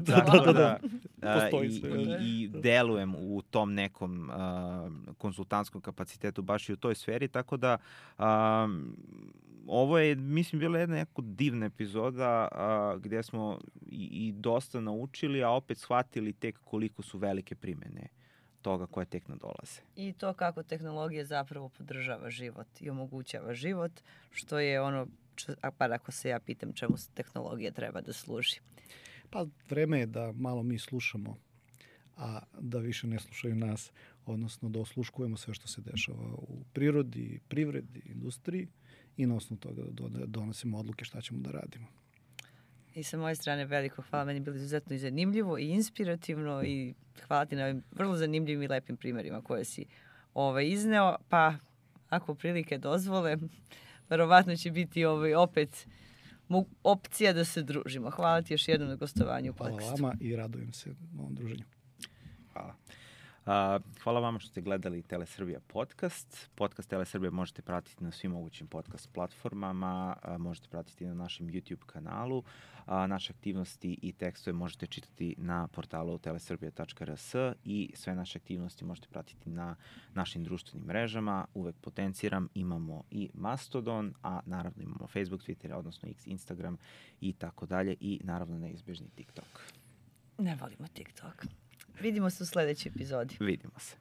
C: Tako da, a,
A: Postoji
C: i,
A: sve,
C: i,
A: da.
C: i delujem u tom nekom a, konsultantskom kapacitetu baš i u toj sferi, tako da a, ovo je, mislim, bila jedna jako divna epizoda a, gdje smo i, i dosta naučili, a opet shvatili tek koliko su velike primene toga koje tek nadolaze.
B: I to kako tehnologija zapravo podržava život i omogućava život, što je ono, a pa ako se ja pitam čemu tehnologija treba da služi.
A: Pa vreme je da malo mi slušamo, a da više ne slušaju nas, odnosno da osluškujemo sve što se dešava u prirodi, privredi, industriji i na osnovu toga da donosimo odluke šta ćemo da radimo.
B: I sa moje strane veliko hvala, meni je bilo izuzetno i zanimljivo i inspirativno i hvala ti na ovim vrlo zanimljivim i lepim primjerima koje si ovaj, izneo, pa ako prilike dozvole, verovatno će biti ovaj, opet opcija da se družimo. Hvala ti još jednom na gostovanju u podcastu.
A: Hvala vama i radujem se ovom druženju.
C: Hvala. Uh, hvala vama što ste gledali Telesrbija podcast. Podcast Telesrbija možete pratiti na svim mogućim podcast platformama, uh, možete pratiti na našem YouTube kanalu. Uh, naše aktivnosti i tekstove možete čitati na portalu telesrbija tačka r s i sve naše aktivnosti možete pratiti na našim društvenim mrežama. Uvek potenciram, imamo i Mastodon, a naravno imamo Facebook, Twitter, odnosno X, Instagram i tako dalje i naravno neizbežni TikTok.
B: Ne volimo TikTok. Vidimo se u sledećoj epizodi.
C: Vidimo se.